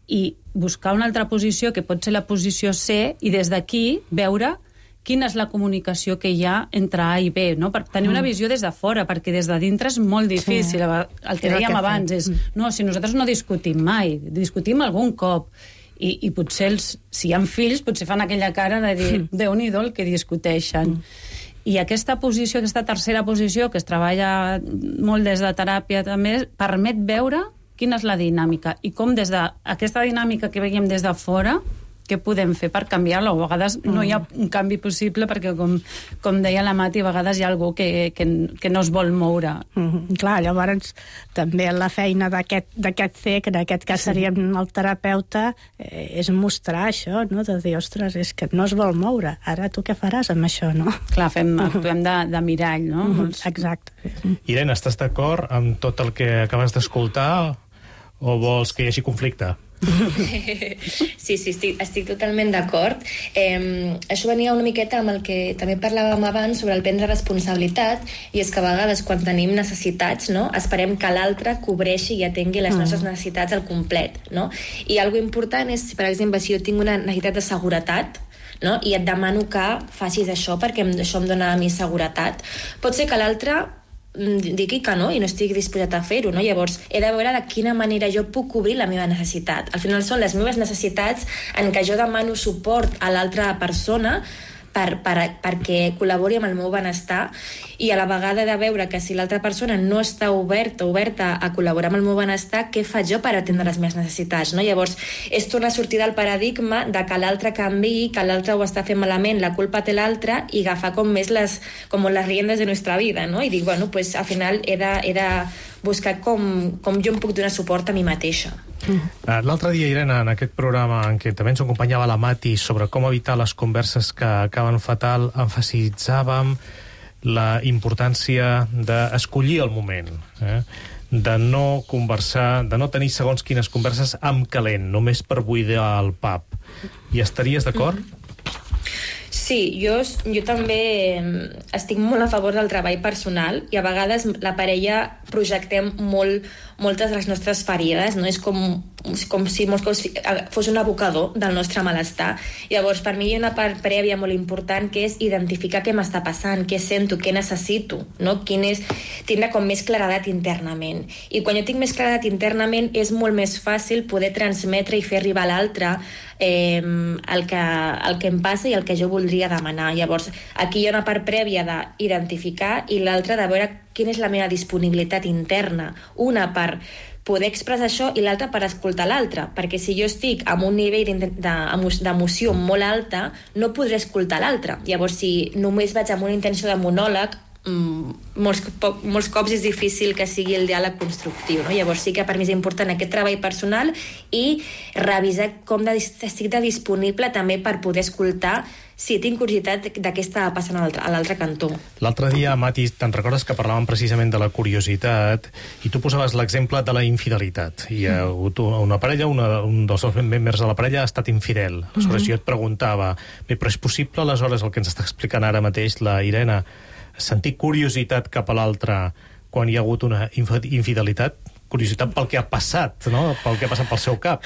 i buscar una altra posició que pot ser la posició C, i des d'aquí veure quina és la comunicació que hi ha entre A i B, no? Per tenir una visió des de fora, perquè des de dintre és molt difícil. Sí. El que dèiem abans és, no, si nosaltres no discutim mai, discutim algun cop, i, i potser, els, si hi ha fills, potser fan aquella cara de dir, Déu-n'hi-do el que discuteixen. Mm. I aquesta posició, aquesta tercera posició, que es treballa molt des de teràpia també, permet veure quina és la dinàmica, i com des d'aquesta dinàmica que veiem des de fora, què podem fer per canviar-la? O a vegades no hi ha un canvi possible perquè, com, com deia la Mati, a vegades hi ha algú que, que, que no es vol moure. Mm-hmm. Clar, llavors també la feina d'aquest C, que en aquest cas seríem el terapeuta, eh, és mostrar això, no? De dir, ostres, és que no es vol moure. Ara tu què faràs amb això, no? Clar, fem, actuem de, de mirall, no? Mm-hmm. Exacte. Irene, estàs d'acord amb tot el que acabes d'escoltar o vols que hi hagi conflicte? Sí, sí, estic, estic totalment d'acord. Eh, això venia una miqueta amb el que també parlàvem abans sobre el prendre responsabilitat, i és que a vegades quan tenim necessitats, no, esperem que l'altre cobreixi i atengui les nostres necessitats al complet, no? I algo important és, per exemple, si jo tinc una necessitat de seguretat, no, i et demano que facis això perquè això em dona a mi seguretat, pot ser que l'altre digui que no i no estic disposat a fer-ho, no? Llavors he de veure de quina manera jo puc cobrir la meva necessitat. Al final són les meves necessitats en què jo demano suport a l'altra persona per, per, perquè col·labori amb el meu benestar, i a la vegada de veure que si l'altra persona no està oberta oberta a col·laborar amb el meu benestar, què faig jo per atendre les meves necessitats, no? Llavors, és tornar a sortir del paradigma de que l'altre canviï, que l'altre ho està fent malament, la culpa té l'altre, i agafar com més les, com les riendes de nostra vida, no? I dic, bueno, pues al final he de, he de buscar com, com jo em puc donar suport a mi mateixa. Mm. L'altre dia, Irene, en aquest programa en què també ens acompanyava la Mati sobre com evitar les converses que acaben fatal, emfasitzàvem la importància d'escollir el moment, eh? de no conversar, de no tenir segons quines converses amb calent, només per buidar el pub. Hi estaries d'acord? Mm. Sí, jo, jo també estic molt a favor del treball personal, i a vegades la parella projectem molt, moltes de les nostres ferides, no? És com, és com si molts cops fos un abocador del nostre malestar. Llavors, per mi hi ha una part prèvia molt important, que és identificar què m'està passant, què sento, què necessito, no? Quin és, tindre com més claredat internament. I quan jo tinc més claredat internament, és molt més fàcil poder transmetre i fer arribar a l'altre eh, el, que, el que em passa i el que jo voldria demanar. Llavors, aquí hi ha una part prèvia d'identificar, i l'altra de veure quina és la meva disponibilitat interna. Una per poder expressar això, i l'altra per escoltar l'altre, perquè si jo estic amb un nivell d'emoció molt alta, no podré escoltar l'altre. Llavors, si només vaig amb una intenció de monòleg, molts, molts cops és difícil que sigui el diàleg constructiu, no? Llavors sí que per mi és important aquest treball personal i revisar com de, estic de disponible també per poder escoltar si tinc curiositat de què està passant a l'altre cantó. L'altre dia, Mati, te'n recordes que parlàvem precisament de la curiositat, i tu posaves l'exemple de la infidelitat. Hi ha hagut una parella, una, un dels dos membres de la parella ha estat infidel. Aleshores, jo et preguntava, bé, però és possible, aleshores, el que ens està explicant ara mateix la Irene, sentir curiositat cap a l'altre quan hi ha hagut una infidelitat? Curiositat pel que ha passat, no? Pel que ha passat pel seu cap.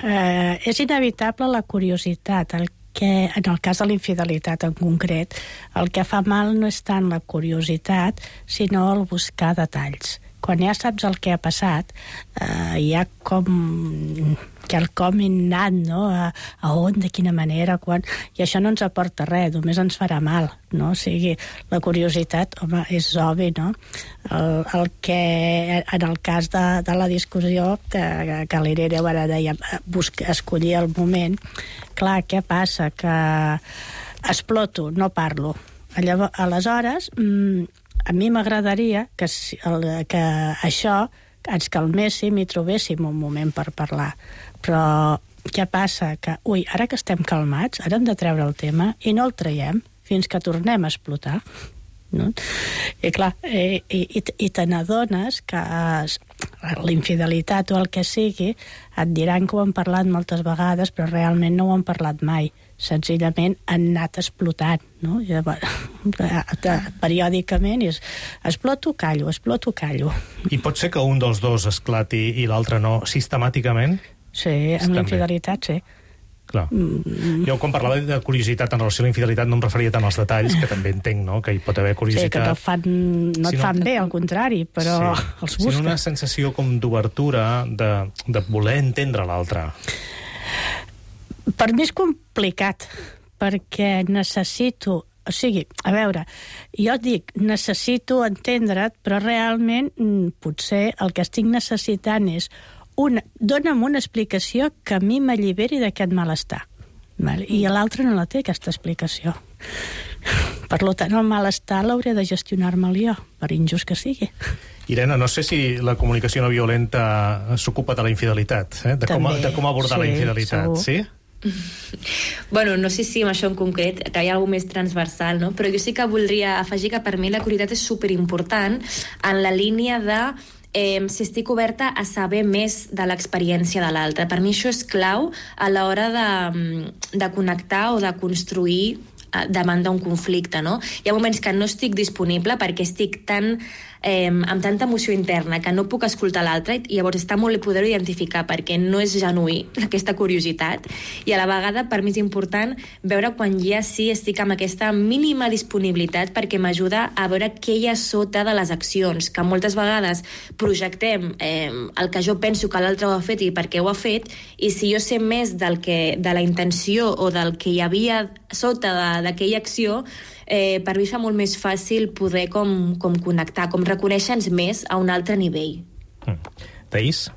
Eh, és inevitable la curiositat. El que, en el cas de la infidelitat en concret, el que fa mal no és tant la curiositat, sinó el buscar detalls. Quan ja saps el que ha passat, eh, hi ha com quelcom innat, no? A, a on, de quina manera, quan... I això no ens aporta res, només ens farà mal, no? O sigui, la curiositat, home, és obvi, no? El, el que, en el cas de, de la discussió, que, que l'Irene ara deia, busca, escollir el moment, clar, què passa? Que exploto, no parlo. Llavors, aleshores, a mi m'agradaria que, que això ens calméssim i trobéssim un moment per parlar. Però què passa? Que, ui, ara que estem calmats, ara hem de treure el tema i no el traiem fins que tornem a explotar. No? I clar, i, i, i te n'adones que la infidelitat o el que sigui et diran que ho han parlat moltes vegades, però realment no ho han parlat mai. Senzillament han anat explotant, no? Periòdicament és exploto, callo, exploto, callo. I pot ser que un dels dos esclati i l'altre no, sistemàticament? Sí, amb la infidelitat, sí. Clar. Mm. Jo, quan parlava de curiositat en relació a la infidelitat, no em referia tant als detalls, que també entenc, no?, que hi pot haver curiositat. Sí, que no, fan, no et fan bé, al contrari, però sí, els busques. Sinó una sensació com d'obertura, de, de voler entendre l'altre. Per mi és complicat, perquè necessito... O sigui, a veure, jo dic, necessito entendre't, però realment potser el que estic necessitant és una, dona'm una explicació que a mi m'alliberi d'aquest malestar. Vale? I l'altre no la té, aquesta explicació. Per tant, el malestar l'hauré de gestionar-me'l jo, per injust que sigui. Irene, no sé si la comunicació no violenta s'ocupa de la infidelitat, eh? de, com, de com abordar sí, la infidelitat, segur. Sí? Bueno, no sé si amb això en concret, que hi ha alguna més transversal, no? Però jo sí que voldria afegir que per mi la curiositat és superimportant en la línia de eh, si estic oberta a saber més de l'experiència de l'altre. Per mi això és clau a l'hora de, de connectar o de construir davant d'un conflicte, no? Hi ha moments que no estic disponible perquè estic tan, eh, amb tanta emoció interna que no puc escoltar l'altre, i llavors està molt poder-ho identificar perquè no és genuí aquesta curiositat, i a la vegada per mi és important veure quan ja sí estic amb aquesta mínima disponibilitat perquè m'ajuda a veure què hi ha sota de les accions, que moltes vegades projectem eh, el que jo penso que l'altre ho ha fet i per què ho ha fet, i si jo sé més del que, de la intenció o del que hi havia sota d'aquella acció, eh, per mi fa molt més fàcil poder com, com connectar, com reconèixer-nos més a un altre nivell. Mm. Taís?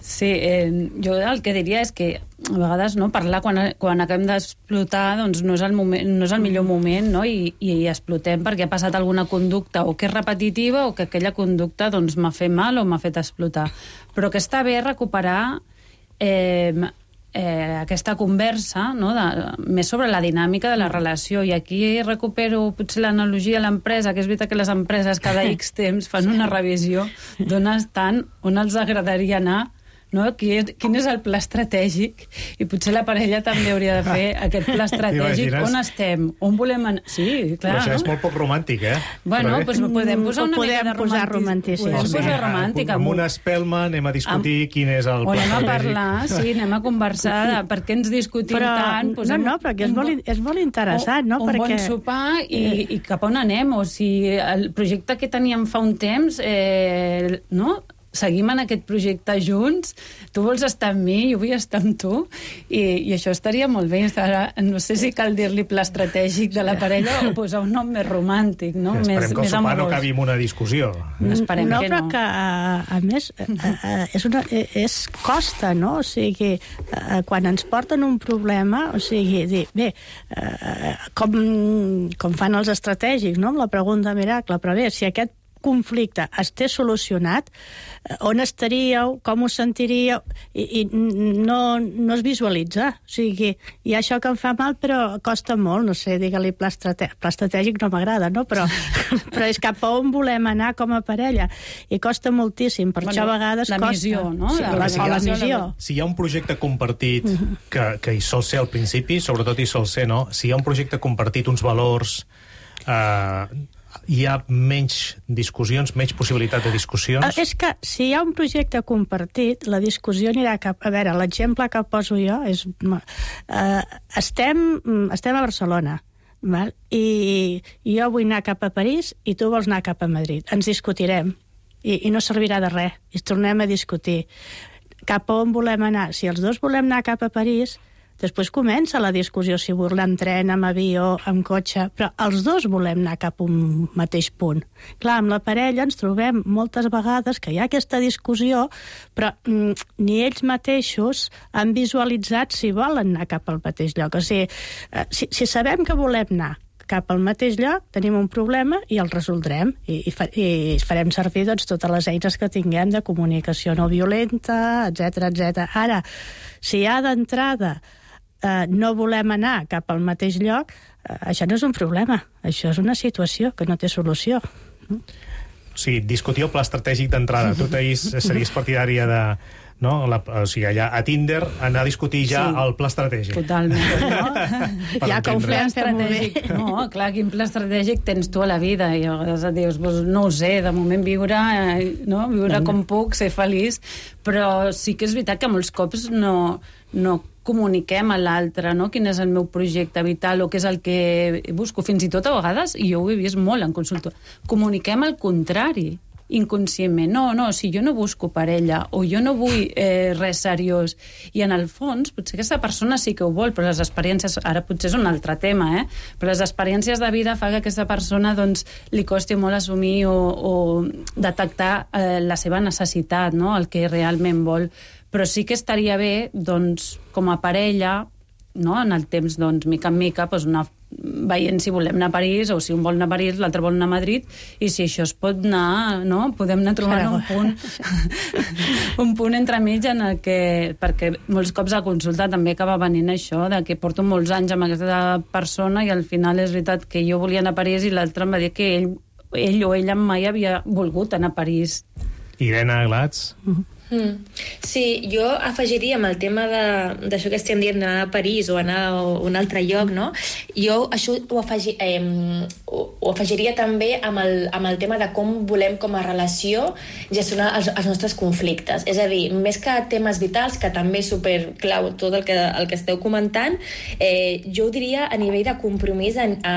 Sí, eh, jo el que diria és que a vegades no, parlar quan, quan acabem d'explotar doncs no és el, moment, no és el millor moment, no? I, i explotem perquè ha passat alguna conducta o que és repetitiva o que aquella conducta doncs, m'ha fet mal o m'ha fet explotar. Però que està bé recuperar eh, eh, aquesta conversa, no? De, més sobre la dinàmica de la relació. I aquí recupero potser l'analogia a l'empresa, que és veritat que les empreses cada X temps fan una revisió d'on estan, on els agradaria anar, no? Quin, quin és el pla estratègic, i potser la parella també hauria de fer aquest pla estratègic. On estem? On volem anar? Sí, clar, però això no? és molt poc romàntic, eh? Bueno, doncs pues podem posar una podem mica de posar romanticisme. romanticisme. Podem posar romàntic. Amb una espelma anem a discutir amb... quin és el pla estratègic. O anem a parlar, sí, anem a conversar de per què ens discutim però, tant. Posem... No, no, perquè és molt, és molt interessant, no? Un perquè... bon sopar i, i cap on anem. O sigui, el projecte que teníem fa un temps, eh, no?, seguim en aquest projecte junts, tu vols estar amb mi, jo vull estar amb tu, i, i això estaria molt bé. No sé si cal dir-li pla estratègic de la parella o posar un nom més romàntic, no? Sí, esperem més, que el sopar no acabi amb una discussió. Esperem no, que però no. que, a, a més, a, a, és, una, és costa, no? O sigui, a, quan ens porten un problema, o sigui, dir, bé, a, com, com fan els estratègics, no? Amb la pregunta miracle, però bé, si aquest conflicte es té solucionat, on estaríeu, com us sentiríeu, i, i no, no es visualitza. O sigui, hi ha això que em fa mal, però costa molt, no sé, digue-li pla, estrate... pla estratègic no m'agrada, no? Però, però és cap a on volem anar com a parella, i costa moltíssim, per bueno, això a vegades la costa. Missió, no? Sí, la, la, si, la ha, missió. Si hi ha un projecte compartit que, que hi sol ser al principi, sobretot hi sol ser, no? Si hi ha un projecte compartit, uns valors... Eh, hi ha menys discussions, menys possibilitat de discussions? És que si hi ha un projecte compartit, la discussió anirà cap... A veure, l'exemple que poso jo és... Eh, estem, estem a Barcelona, val? I, i jo vull anar cap a París i tu vols anar cap a Madrid. Ens discutirem i, i no servirà de res. I tornem a discutir. Cap a on volem anar? Si els dos volem anar cap a París... Després comença la discussió si volem tren, amb avió, amb cotxe, però els dos volem anar cap a un mateix punt. Clar, amb la parella ens trobem moltes vegades que hi ha aquesta discussió, però mm, ni ells mateixos han visualitzat si volen anar cap al mateix lloc. O sigui, eh, si, si sabem que volem anar cap al mateix lloc, tenim un problema i el resoldrem i, i, fa, i farem servir doncs, totes les eines que tinguem de comunicació no violenta, etcètera, etcètera. Ara, si hi ha d'entrada eh, no volem anar cap al mateix lloc, eh, això no és un problema, això és una situació que no té solució. O sigui, discutir el pla estratègic d'entrada. Tu, Taís, series partidària de... No? La, o sigui, allà a Tinder anar a discutir ja sí, el pla estratègic. Totalment, no? Ja que ho fem, fem bé. No, clar, quin pla estratègic tens tu a la vida? I a vegades dius, pues, no ho sé, de moment viure, no? viure com puc, ser feliç, però sí que és veritat que molts cops no, no comuniquem a l'altre, no? Quin és el meu projecte vital o què és el que busco. Fins i tot a vegades, i jo ho he vist molt en consulta, comuniquem el contrari, inconscientment. No, no, si jo no busco parella o jo no vull eh, res seriós, i en el fons potser aquesta persona sí que ho vol, però les experiències, ara potser és un altre tema, eh? però les experiències de vida fa que aquesta persona doncs, li costi molt assumir o, o detectar eh, la seva necessitat, no? El que realment vol. Però sí que estaria bé, doncs, com a parella, no? En el temps, doncs, mica en mica, doncs, una veient si volem anar a París o si un vol anar a París, l'altre vol anar a Madrid, i si això es pot anar, no? Podem anar trobant un punt un punt entremig en el que, perquè molts cops a consulta també acaba venint això, de que porto molts anys amb aquesta persona i al final és veritat que jo volia anar a París i l'altre em va dir que ell, ell o ella mai havia volgut anar a París. Irene Glatz? Mm-hmm. Mm. Sí, jo afegiria amb el tema d'això que estem dient, anar a París o anar a un altre lloc, no? Jo això ho, afegi, eh, ho, ho afegiria també amb el, amb el tema de com volem com a relació gestionar els, els nostres conflictes. És a dir, més que temes vitals, que també és superclau tot el que, el que esteu comentant, eh, jo ho diria a nivell de compromís, a, a,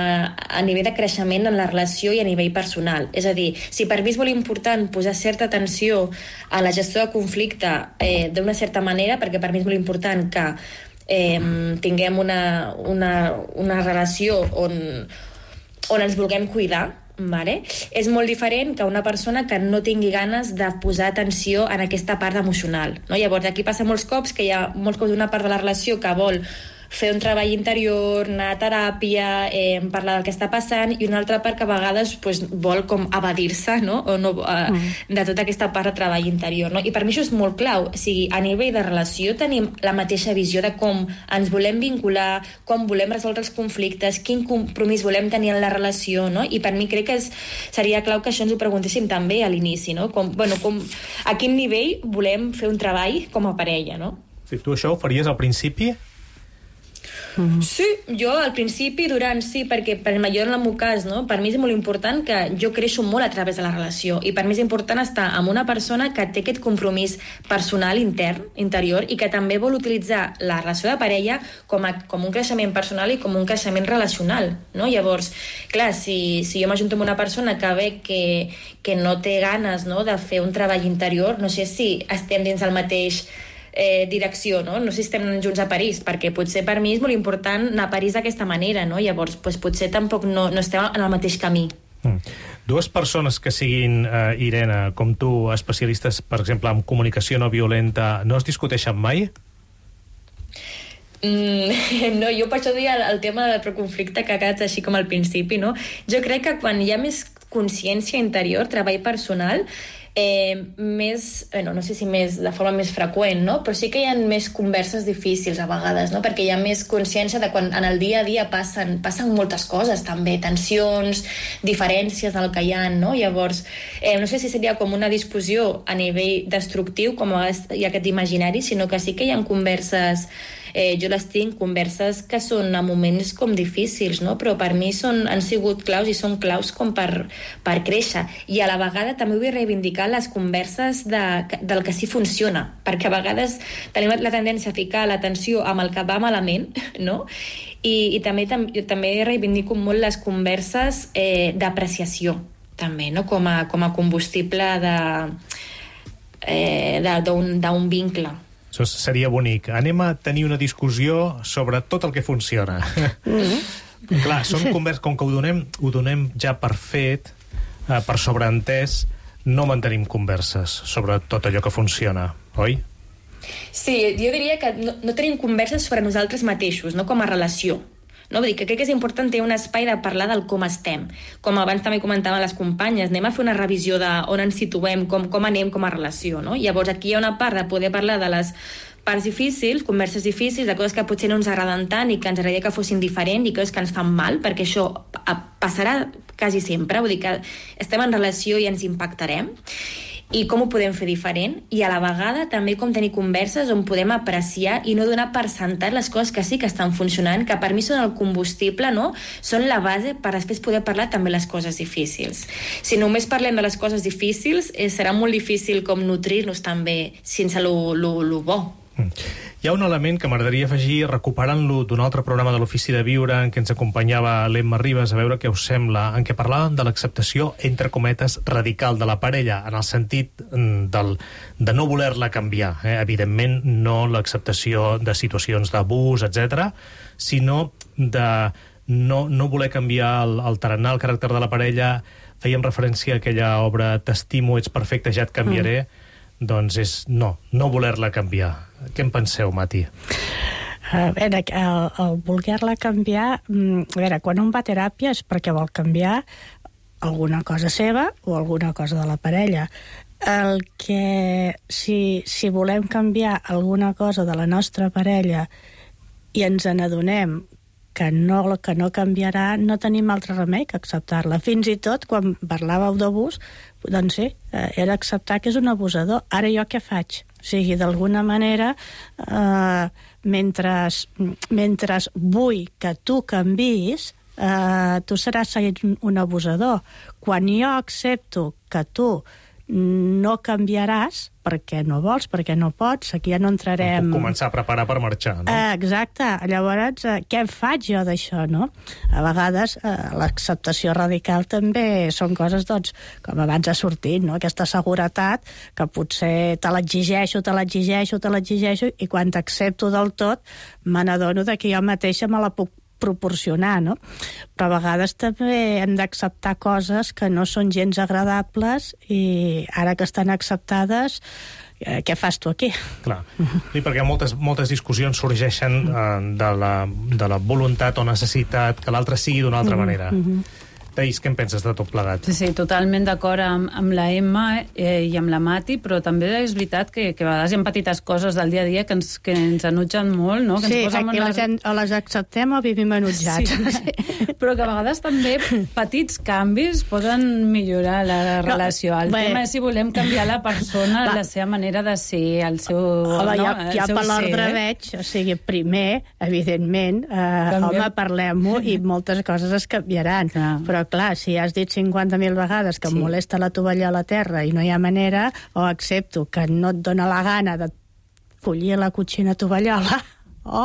a nivell de creixement en la relació i a nivell personal. És a dir, si per mi és molt important posar certa atenció a la gestió de conflicte eh, d'una certa manera, perquè per mi és molt important que eh, tinguem una, una, una relació on, on ens vulguem cuidar, vale? És molt diferent que una persona que no tingui ganes de posar atenció en aquesta part emocional, no? Llavors aquí passa molts cops que hi ha molts cops una part de la relació que vol fer un treball interior, anar a teràpia, eh, parlar del que està passant, i una altra part que a vegades pues, vol com evadir-se, no? O no, eh, mm. de tota aquesta part de treball interior, no? I per mi això és molt clau. O sigui, a nivell de relació tenim la mateixa visió de com ens volem vincular, com volem resoldre els conflictes, quin compromís volem tenir en la relació, no? I per mi crec que és, seria clau que això ens ho preguntéssim també a l'inici, no? Com, bueno, com, a quin nivell volem fer un treball com a parella, no? Si tu això ho faries al principi? Mm-hmm. Sí, jo al principi, durant sí, perquè per jo en el meu cas, no? Per mi és molt important que jo creixo molt a través de la relació, i per mi és important estar amb una persona que té aquest compromís personal intern, interior, i que també vol utilitzar la relació de parella com, a, com un creixement personal i com un creixement relacional, no? Llavors, clar, si, si jo m'ajunto amb una persona que ve que, que no té ganes, no?, de fer un treball interior, no sé si estem dins el mateix Eh, direcció, no? No sé si estem junts a París, perquè potser per mi és molt important anar a París d'aquesta manera, no? Llavors, pues, potser tampoc no, no estem en el mateix camí. Mm. Dues persones que siguin, eh, Irene, com tu, especialistes, per exemple, en comunicació no violenta, no es discuteixen mai? Mm, no, jo per això deia el tema del preconflicte que ha quedat així com al principi, no? Jo crec que quan hi ha més consciència interior, treball personal, Eh, més, bueno, no sé si més de forma més freqüent, no? Però sí que hi ha més converses difícils a vegades, no? Perquè hi ha més consciència de quan en el dia a dia passen, passen moltes coses també, tensions, diferències del que hi ha, no? Llavors, eh, no sé si seria com una discussió a nivell destructiu, com a vegades hi ha aquest imaginari, sinó que sí que hi ha converses, eh, jo les tinc, converses que són a moments com difícils, no? Però per mi són, han sigut claus i són claus com per, per créixer. I a la vegada també vull reivindicar les converses de, del que sí funciona, perquè a vegades tenim la tendència a ficar l'atenció amb el que va malament, no? I, i també, tam, jo també reivindico molt les converses eh, d'apreciació, també, no? Com a, com a combustible de, eh, d'un vincle. Això seria bonic. Anem a tenir una discussió sobre tot el que funciona. Mm-hmm. Clar, són converses, com que ho donem, ho donem ja per fet, eh, per sobreentès, no mantenim converses sobre tot allò que funciona, oi? Sí, jo diria que no, no tenim converses sobre nosaltres mateixos, no com a relació. No? Vull dir que crec que és important tenir un espai de parlar del com estem. Com abans també comentaven les companyes, anem a fer una revisió d'on ens situem, com, com anem com a relació, no? Llavors aquí hi ha una part de poder parlar de les parts difícils, converses difícils, de coses que potser no ens agraden tant i que ens agradaria que fossin diferents i coses que ens fan mal, perquè això passarà quasi sempre, vull dir que estem en relació i ens impactarem. I com ho podem fer diferent, i a la vegada també com tenir converses on podem apreciar i no donar per sentat les coses que sí que estan funcionant, que per mi són el combustible, no? Són la base per després poder parlar també les coses difícils. Si només parlem de les coses difícils, eh, serà molt difícil com nutrir-nos també sense lo, lo, lo bo. Hi ha un element que m'agradaria afegir, recuperant-lo d'un altre programa de l'Ofici de Viure en què ens acompanyava l'Emma Ribas, a veure què us sembla, en què parlàvem de l'acceptació, entre cometes, radical de la parella, en el sentit del, de no voler-la canviar. Eh? Evidentment, no l'acceptació de situacions d'abús, etcètera, sinó de no, no voler canviar el, el tarannà, el caràcter de la parella. Fèiem referència a aquella obra T'estimo, ets perfecte, ja et canviaré. Mm. Doncs és no, no voler-la canviar. Què en penseu, Mati? A veure, el, el voler-la canviar... A veure, quan un va a teràpia és perquè vol canviar alguna cosa seva o alguna cosa de la parella. El que... Si, si volem canviar alguna cosa de la nostra parella i ens n'adonem que no, que no canviarà, no tenim altre remei que acceptar-la. Fins i tot, quan parlàveu d'abús, doncs sí, era acceptar que és un abusador. Ara jo què faig? O sigui, d'alguna manera, eh, mentre, mentre vull que tu canvis, eh, tu seràs un abusador. Quan jo accepto que tu no canviaràs perquè no vols, perquè no pots, aquí ja no entrarem... Puc començar a preparar per marxar, no? Eh, exacte. Llavors, eh, què en faig jo d'això, no? A vegades eh, l'acceptació radical també són coses, doncs, com abans ha sortit, no? Aquesta seguretat que potser te l'exigeixo, te l'exigeixo, te l'exigeixo, i quan t'accepto del tot, me n'adono que jo mateixa me la puc proporcionar, no? Però a vegades també hem d'acceptar coses que no són gens agradables i ara que estan acceptades, eh, què fas tu aquí? Clar, sí, perquè moltes, moltes discussions sorgeixen eh, de, la, de la voluntat o necessitat que l'altre sigui d'una altra manera. Mm-hmm. Teis, què en penses de tot plegat? Sí, sí, totalment d'acord amb, amb la Emma eh, i amb la Mati, però també és veritat que, que a vegades hi ha petites coses del dia a dia que ens, que ens enutgen molt, no? Que Sí, ens posen aquí les... les, o les acceptem o vivim enutjats. Sí, però que a vegades també petits canvis poden millorar la relació. El bé. tema és si volem canviar la persona, Va. la seva manera de ser, el seu... Home, no, ja, el ja seu per l'ordre ser, eh? veig, o sigui, primer, evidentment, eh, home, parlem-ho i moltes coses es canviaran. Clar. Però, clar, si has dit cinquanta mil vegades que sí. em molesta la tovalla a la terra i no hi ha manera, o accepto que no et dóna la gana de collir la cotxina tovallola, o,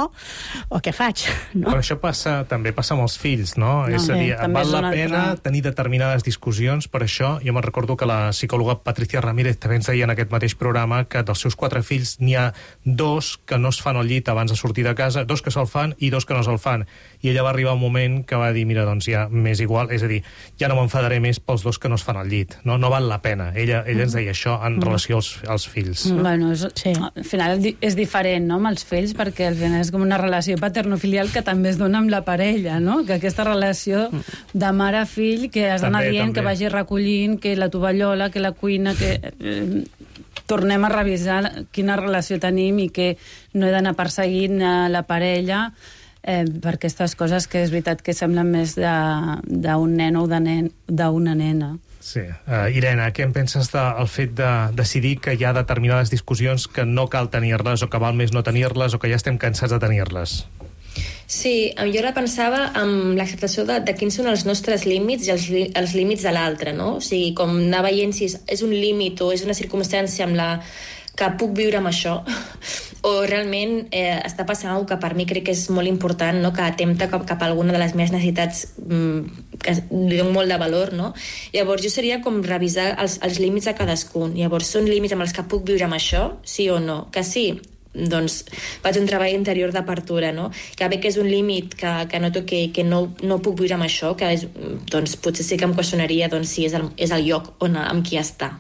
o què faig? No? Però això passa, també passa amb els fills, no? No, és a dir, sí, val la altre... pena tenir determinades discussions per això. Jo me'n recordo que la psicòloga Patricia Ramírez també ens deia en aquest mateix programa que dels seus quatre fills n'hi ha dos que no es fan al llit abans de sortir de casa, dos que se'l fan i dos que no se'l fan. I ella va arribar un moment que va dir, mira, doncs ja m'és igual, és a dir, ja no m'enfadaré més pels dos que no es fan al llit. No, no val la pena. Ella, ella ens deia això en Mm. relació als, als fills. Mm. Bueno, és, sí. Al final és diferent, no?, amb els fills, perquè al final és com una relació paternofilial que també es dona amb la parella, no? Que aquesta relació de mare a fill, que has d'anar També, dient, també. que vagi recollint, que la tovallola, que la cuina, que... Eh, tornem a revisar quina relació tenim i que no he d'anar perseguint a la parella eh, per aquestes coses que és veritat que semblen més d'un nen o d'una nena. Sí. Uh, Irene, què en penses del fet de decidir que hi ha determinades discussions que no cal tenir-les o que val més no tenir-les o que ja estem cansats de tenir-les? Sí, jo ara pensava amb l'acceptació de, de quins són els nostres límits i els, els límits de l'altre, no? O sigui, com anar veient si és, és un límit o és una circumstància amb la que puc viure amb això, o realment eh, està passant alguna que per mi crec que és molt important, no? Que atempta cap, cap a alguna de les meves necessitats mm, que li dono molt de valor, no? Llavors jo seria com revisar els, els límits de cadascun. Llavors són límits amb els que puc viure amb això, sí o no? Que sí, doncs faig un treball interior d'apertura, no? Que bé que és un límit que, que noto que, que no, no puc viure amb això, que és, doncs potser sí que em qüestionaria doncs, si és el, és el lloc on, amb qui està.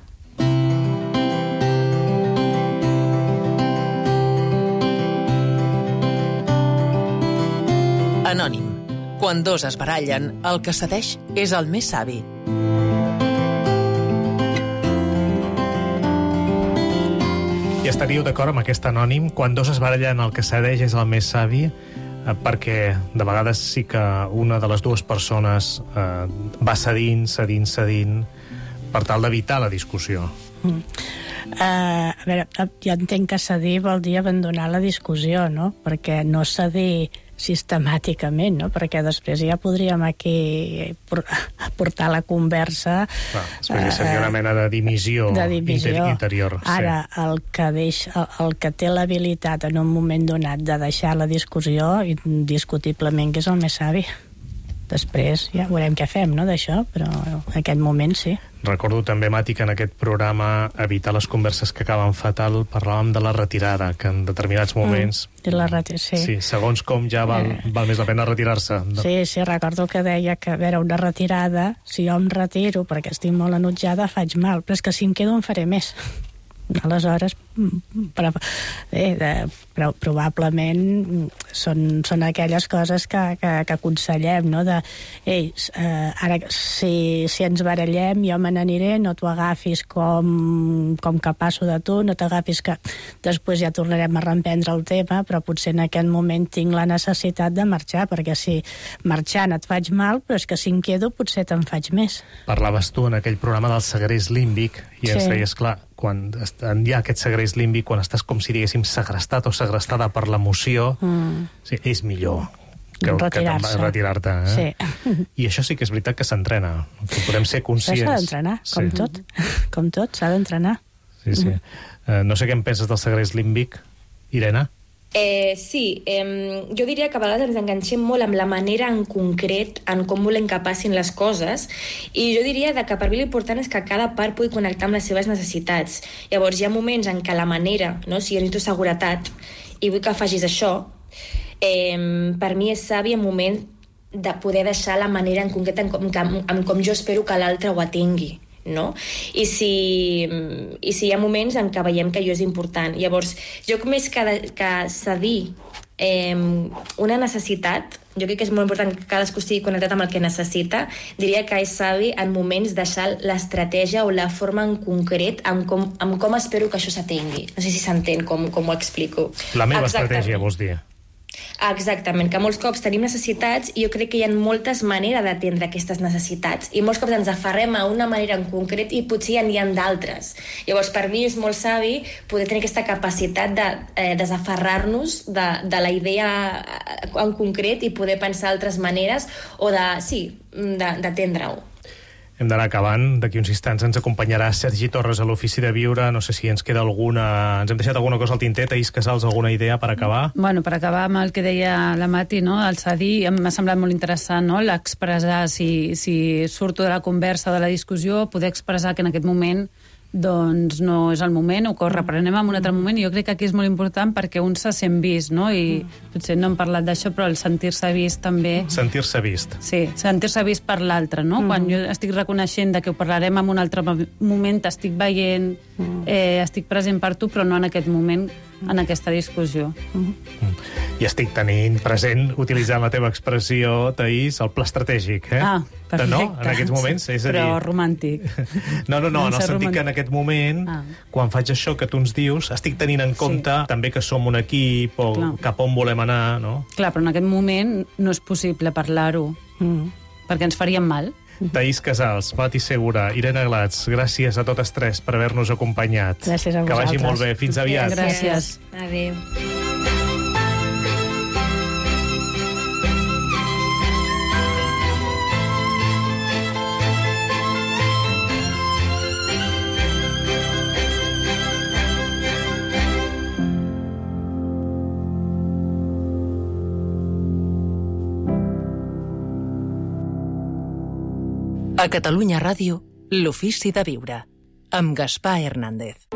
Anònim. Quan dos es barallen, el que cedeix és el més savi. I estaríeu d'acord amb aquest anònim? Quan dos es barallen, el que cedeix és el més savi? Eh, perquè de vegades sí que una de les dues persones eh, va cedint, cedint, cedint, per tal d'evitar la discussió. Mm. Uh, a veure, jo entenc que cedir vol dir abandonar la discussió, no? Perquè no cedir sistemàticament, no? Perquè després ja podríem aquí portar la conversa... Clar, després ja seria una mena de dimissió, de dimissió. interior. Ara, sí. el, que deix, el, el que té l'habilitat en un moment donat de deixar la discussió, indiscutiblement que és el més savi. Després ja veurem què fem, no?, d'això, però en aquest moment sí. Recordo també, Mati, que en aquest programa Evitar les converses que acaben fatal parlàvem de la retirada, que en determinats moments... Mm, la reti- sí. sí, segons com ja val, Eh. val més la pena retirar-se. Sí, sí, recordo que deia que, a veure, una retirada, si jo em retiro perquè estic molt enutjada, faig mal, però és que si em quedo em faré més. Aleshores, però, bé, de, però probablement són, són aquelles coses que, que, que aconsellem, no? De, ei, eh, ara, si, si ens barallem, jo me n'aniré, no t'ho agafis com, com que passo de tu, no t'agafis que després ja tornarem a reemprendre el tema, però potser en aquest moment tinc la necessitat de marxar, perquè si marxant et faig mal, però és que si em quedo potser te'n faig més. Parlaves tu en aquell programa del segrest límbic i ens Sí. deies, clar, quan hi ha aquest segrest límbic, quan estàs com si diguéssim segrestat o segrestada per l'emoció, Mm. sí, és millor retirar-se. Retirar-te, eh? Sí. I això sí que és veritat que s'entrena, que podem ser conscients. S'ha d'entrenar, com sí. tot. Com tot, s'ha d'entrenar. Sí, sí. Uh, no sé què en penses del segrest límbic, Irene? Eh, sí, eh, jo diria que a vegades ens enganxem molt amb la manera en concret en com volem que passin les coses, i jo diria que per mi l'important és que cada part pugui connectar amb les seves necessitats. Llavors hi ha moments en què la manera, no? Si jo necessito seguretat i vull que facis això, eh, per mi és savi en moment de poder deixar la manera en concret en com, en, en com jo espero que l'altre ho atingui. No? I, si, i si hi ha moments en què veiem que allò és important. Llavors, jo més que, de, que cedir eh, una necessitat, jo crec que és molt important que cadascú estigui connectat amb el que necessita, diria que és savi en moments deixar l'estratègia o la forma en concret amb com, amb com espero que això s'atengui. No sé si s'entén com, com ho explico. La meva Exactament. estratègia, vols dir? Exactament, que molts cops tenim necessitats i jo crec que hi ha moltes maneres d'atendre aquestes necessitats i molts cops ens aferrem a una manera en concret i potser n'hi ha d'altres. Llavors, per mi és molt savi poder tenir aquesta capacitat de eh, desaferrar-nos de, de la idea en concret i poder pensar altres maneres o de, sí, d'atendre-ho. Hem d'anar acabant. D'aquí uns instants ens acompanyarà Sergi Torres a l'Ofici de Viure. No sé si ens queda alguna... Ens hem deixat alguna cosa al tinter. Taís Casals, alguna idea per acabar? Bueno, per acabar amb el que deia la Mati, no? El cedir, m'ha semblat molt interessant, no? L'expressar, si, si surto de la conversa o de la discussió, poder expressar que en aquest moment doncs no és el moment, o que ho reprenem en un altre moment, i jo crec que aquí és molt important perquè un se sent vist, no? I potser no hem parlat d'això, però el sentir-se vist també... Sentir-se vist. Sí, sentir-se vist per l'altre, no? Mm. Quan jo estic reconeixent de que ho parlarem en un altre moment, t'estic veient, eh, estic present per tu, però no en aquest moment, en aquesta discussió. Mm. I estic tenint present, utilitzant la teva expressió, Taís, el pla estratègic, eh? Ah, perfecte. No? En aquests moments, és a dir... Però romàntic. No, no, no, en el sentit que en aquest moment, ah. quan faig això que tu ens dius, estic tenint en compte sí. també que som un equip o Clar. cap on volem anar, no? Clar, però en aquest moment no és possible parlar-ho, mm. perquè ens faríem mal. Taís Casals, Mati Segura, Irene Glatz, gràcies a totes tres per haver-nos acompanyat. Gràcies a vosaltres. Que vagi molt bé. Fins aviat. Gràcies. Adéu. A Catalunya Ràdio, l'Ofici de Viure, amb Gaspar Hernández.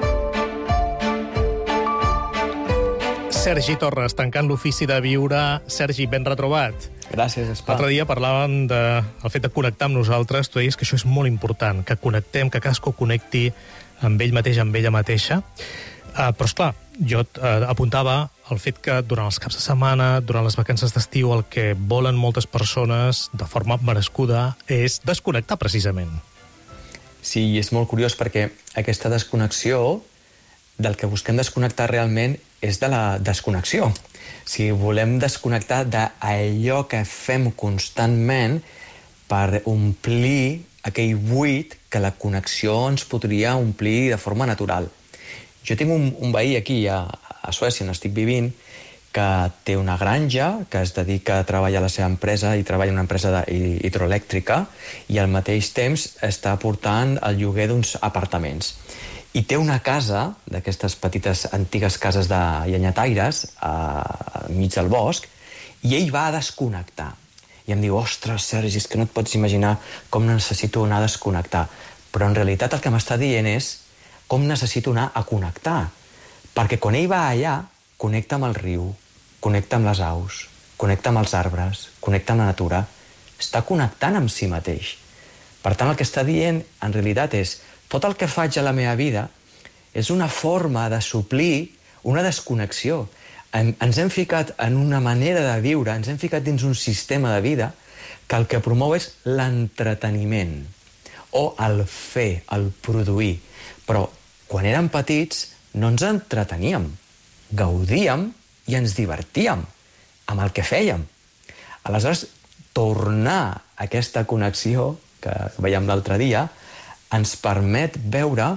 Sergi Torres, tancant l'Ofici de Viure. Sergi, ben retrobat. Gràcies, Gaspar. L'altre dia parlàvem del fet de connectar amb nosaltres. Tu deies que això és molt important, que connectem, que cadascú connecti amb ell mateix, amb ella mateixa. Uh, però, esclar, jo uh, apuntava el fet que durant els caps de setmana, durant les vacances d'estiu, el que volen moltes persones, de forma merescuda, és desconnectar, precisament. Sí, i és molt curiós perquè aquesta desconnexió, del que busquem desconnectar realment, és de la desconnexió. Si volem desconnectar d'allò que fem constantment per omplir aquell buit que la connexió ens podria omplir de forma natural. Jo tinc un, un veí aquí a, a Suècia, on estic vivint, que té una granja, que es dedica a treballar a la seva empresa i treballa en una empresa de, hidroelèctrica, i al mateix temps està portant el lloguer d'uns apartaments. I té una casa, d'aquestes petites antigues cases de llenyataires, a, a mig del bosc, i ell va a desconnectar. I em diu, ostres, Sergi, és que no et pots imaginar com necessito anar a desconnectar. Però en realitat el que m'està dient és com necessito anar a connectar. Perquè quan ell va allà, connecta amb el riu, connecta amb les aus, connecta amb els arbres, connecta amb la natura, està connectant amb si mateix. Per tant, el que està dient, en realitat, és tot el que faig a la meva vida és una forma de suplir una desconnexió. Ens hem ficat en una manera de viure, ens hem ficat dins un sistema de vida que el que promou és l'entreteniment, o el fer, el produir. Però quan érem petits no ens entreteníem, gaudíem i ens divertíem amb el que fèiem. Aleshores, tornar a aquesta connexió que veiem l'altre dia ens permet veure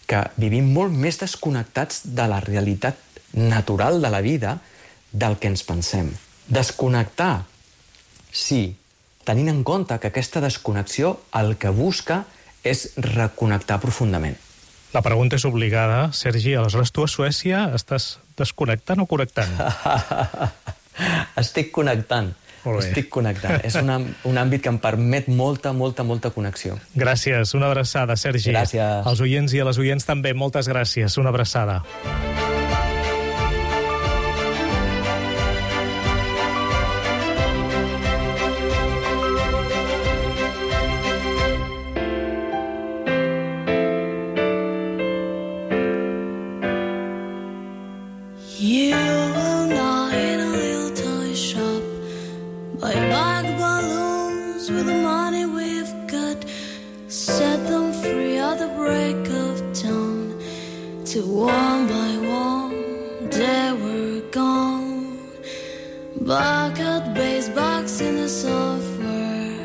que vivim molt més desconnectats de la realitat natural de la vida del que ens pensem. Desconnectar Sí, tenint en compte que aquesta desconnexió el que busca és reconnectar profundament. La pregunta és obligada. Sergi, aleshores tu a Suècia estàs desconnectant o connectant? Estic connectant. Estic connectant. És un, un àmbit que em permet molta, molta, molta connexió. Gràcies. Una abraçada, Sergi. Gràcies. Als oients i a les oients també, moltes gràcies. Una abraçada. You will not in a little toy shop buy bag balloons with the money we've got, set them free at the break of dawn, till one by one they were gone. Back at base, box in the software,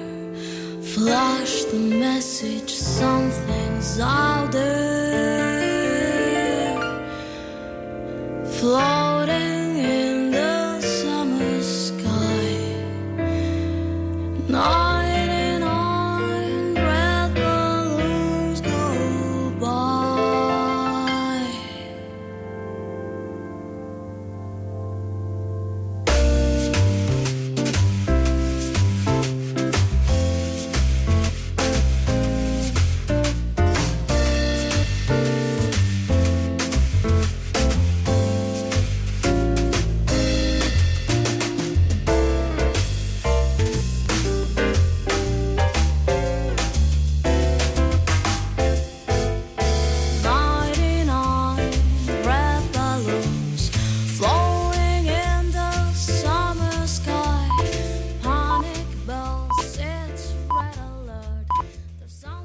flash the message, something's out there. Fly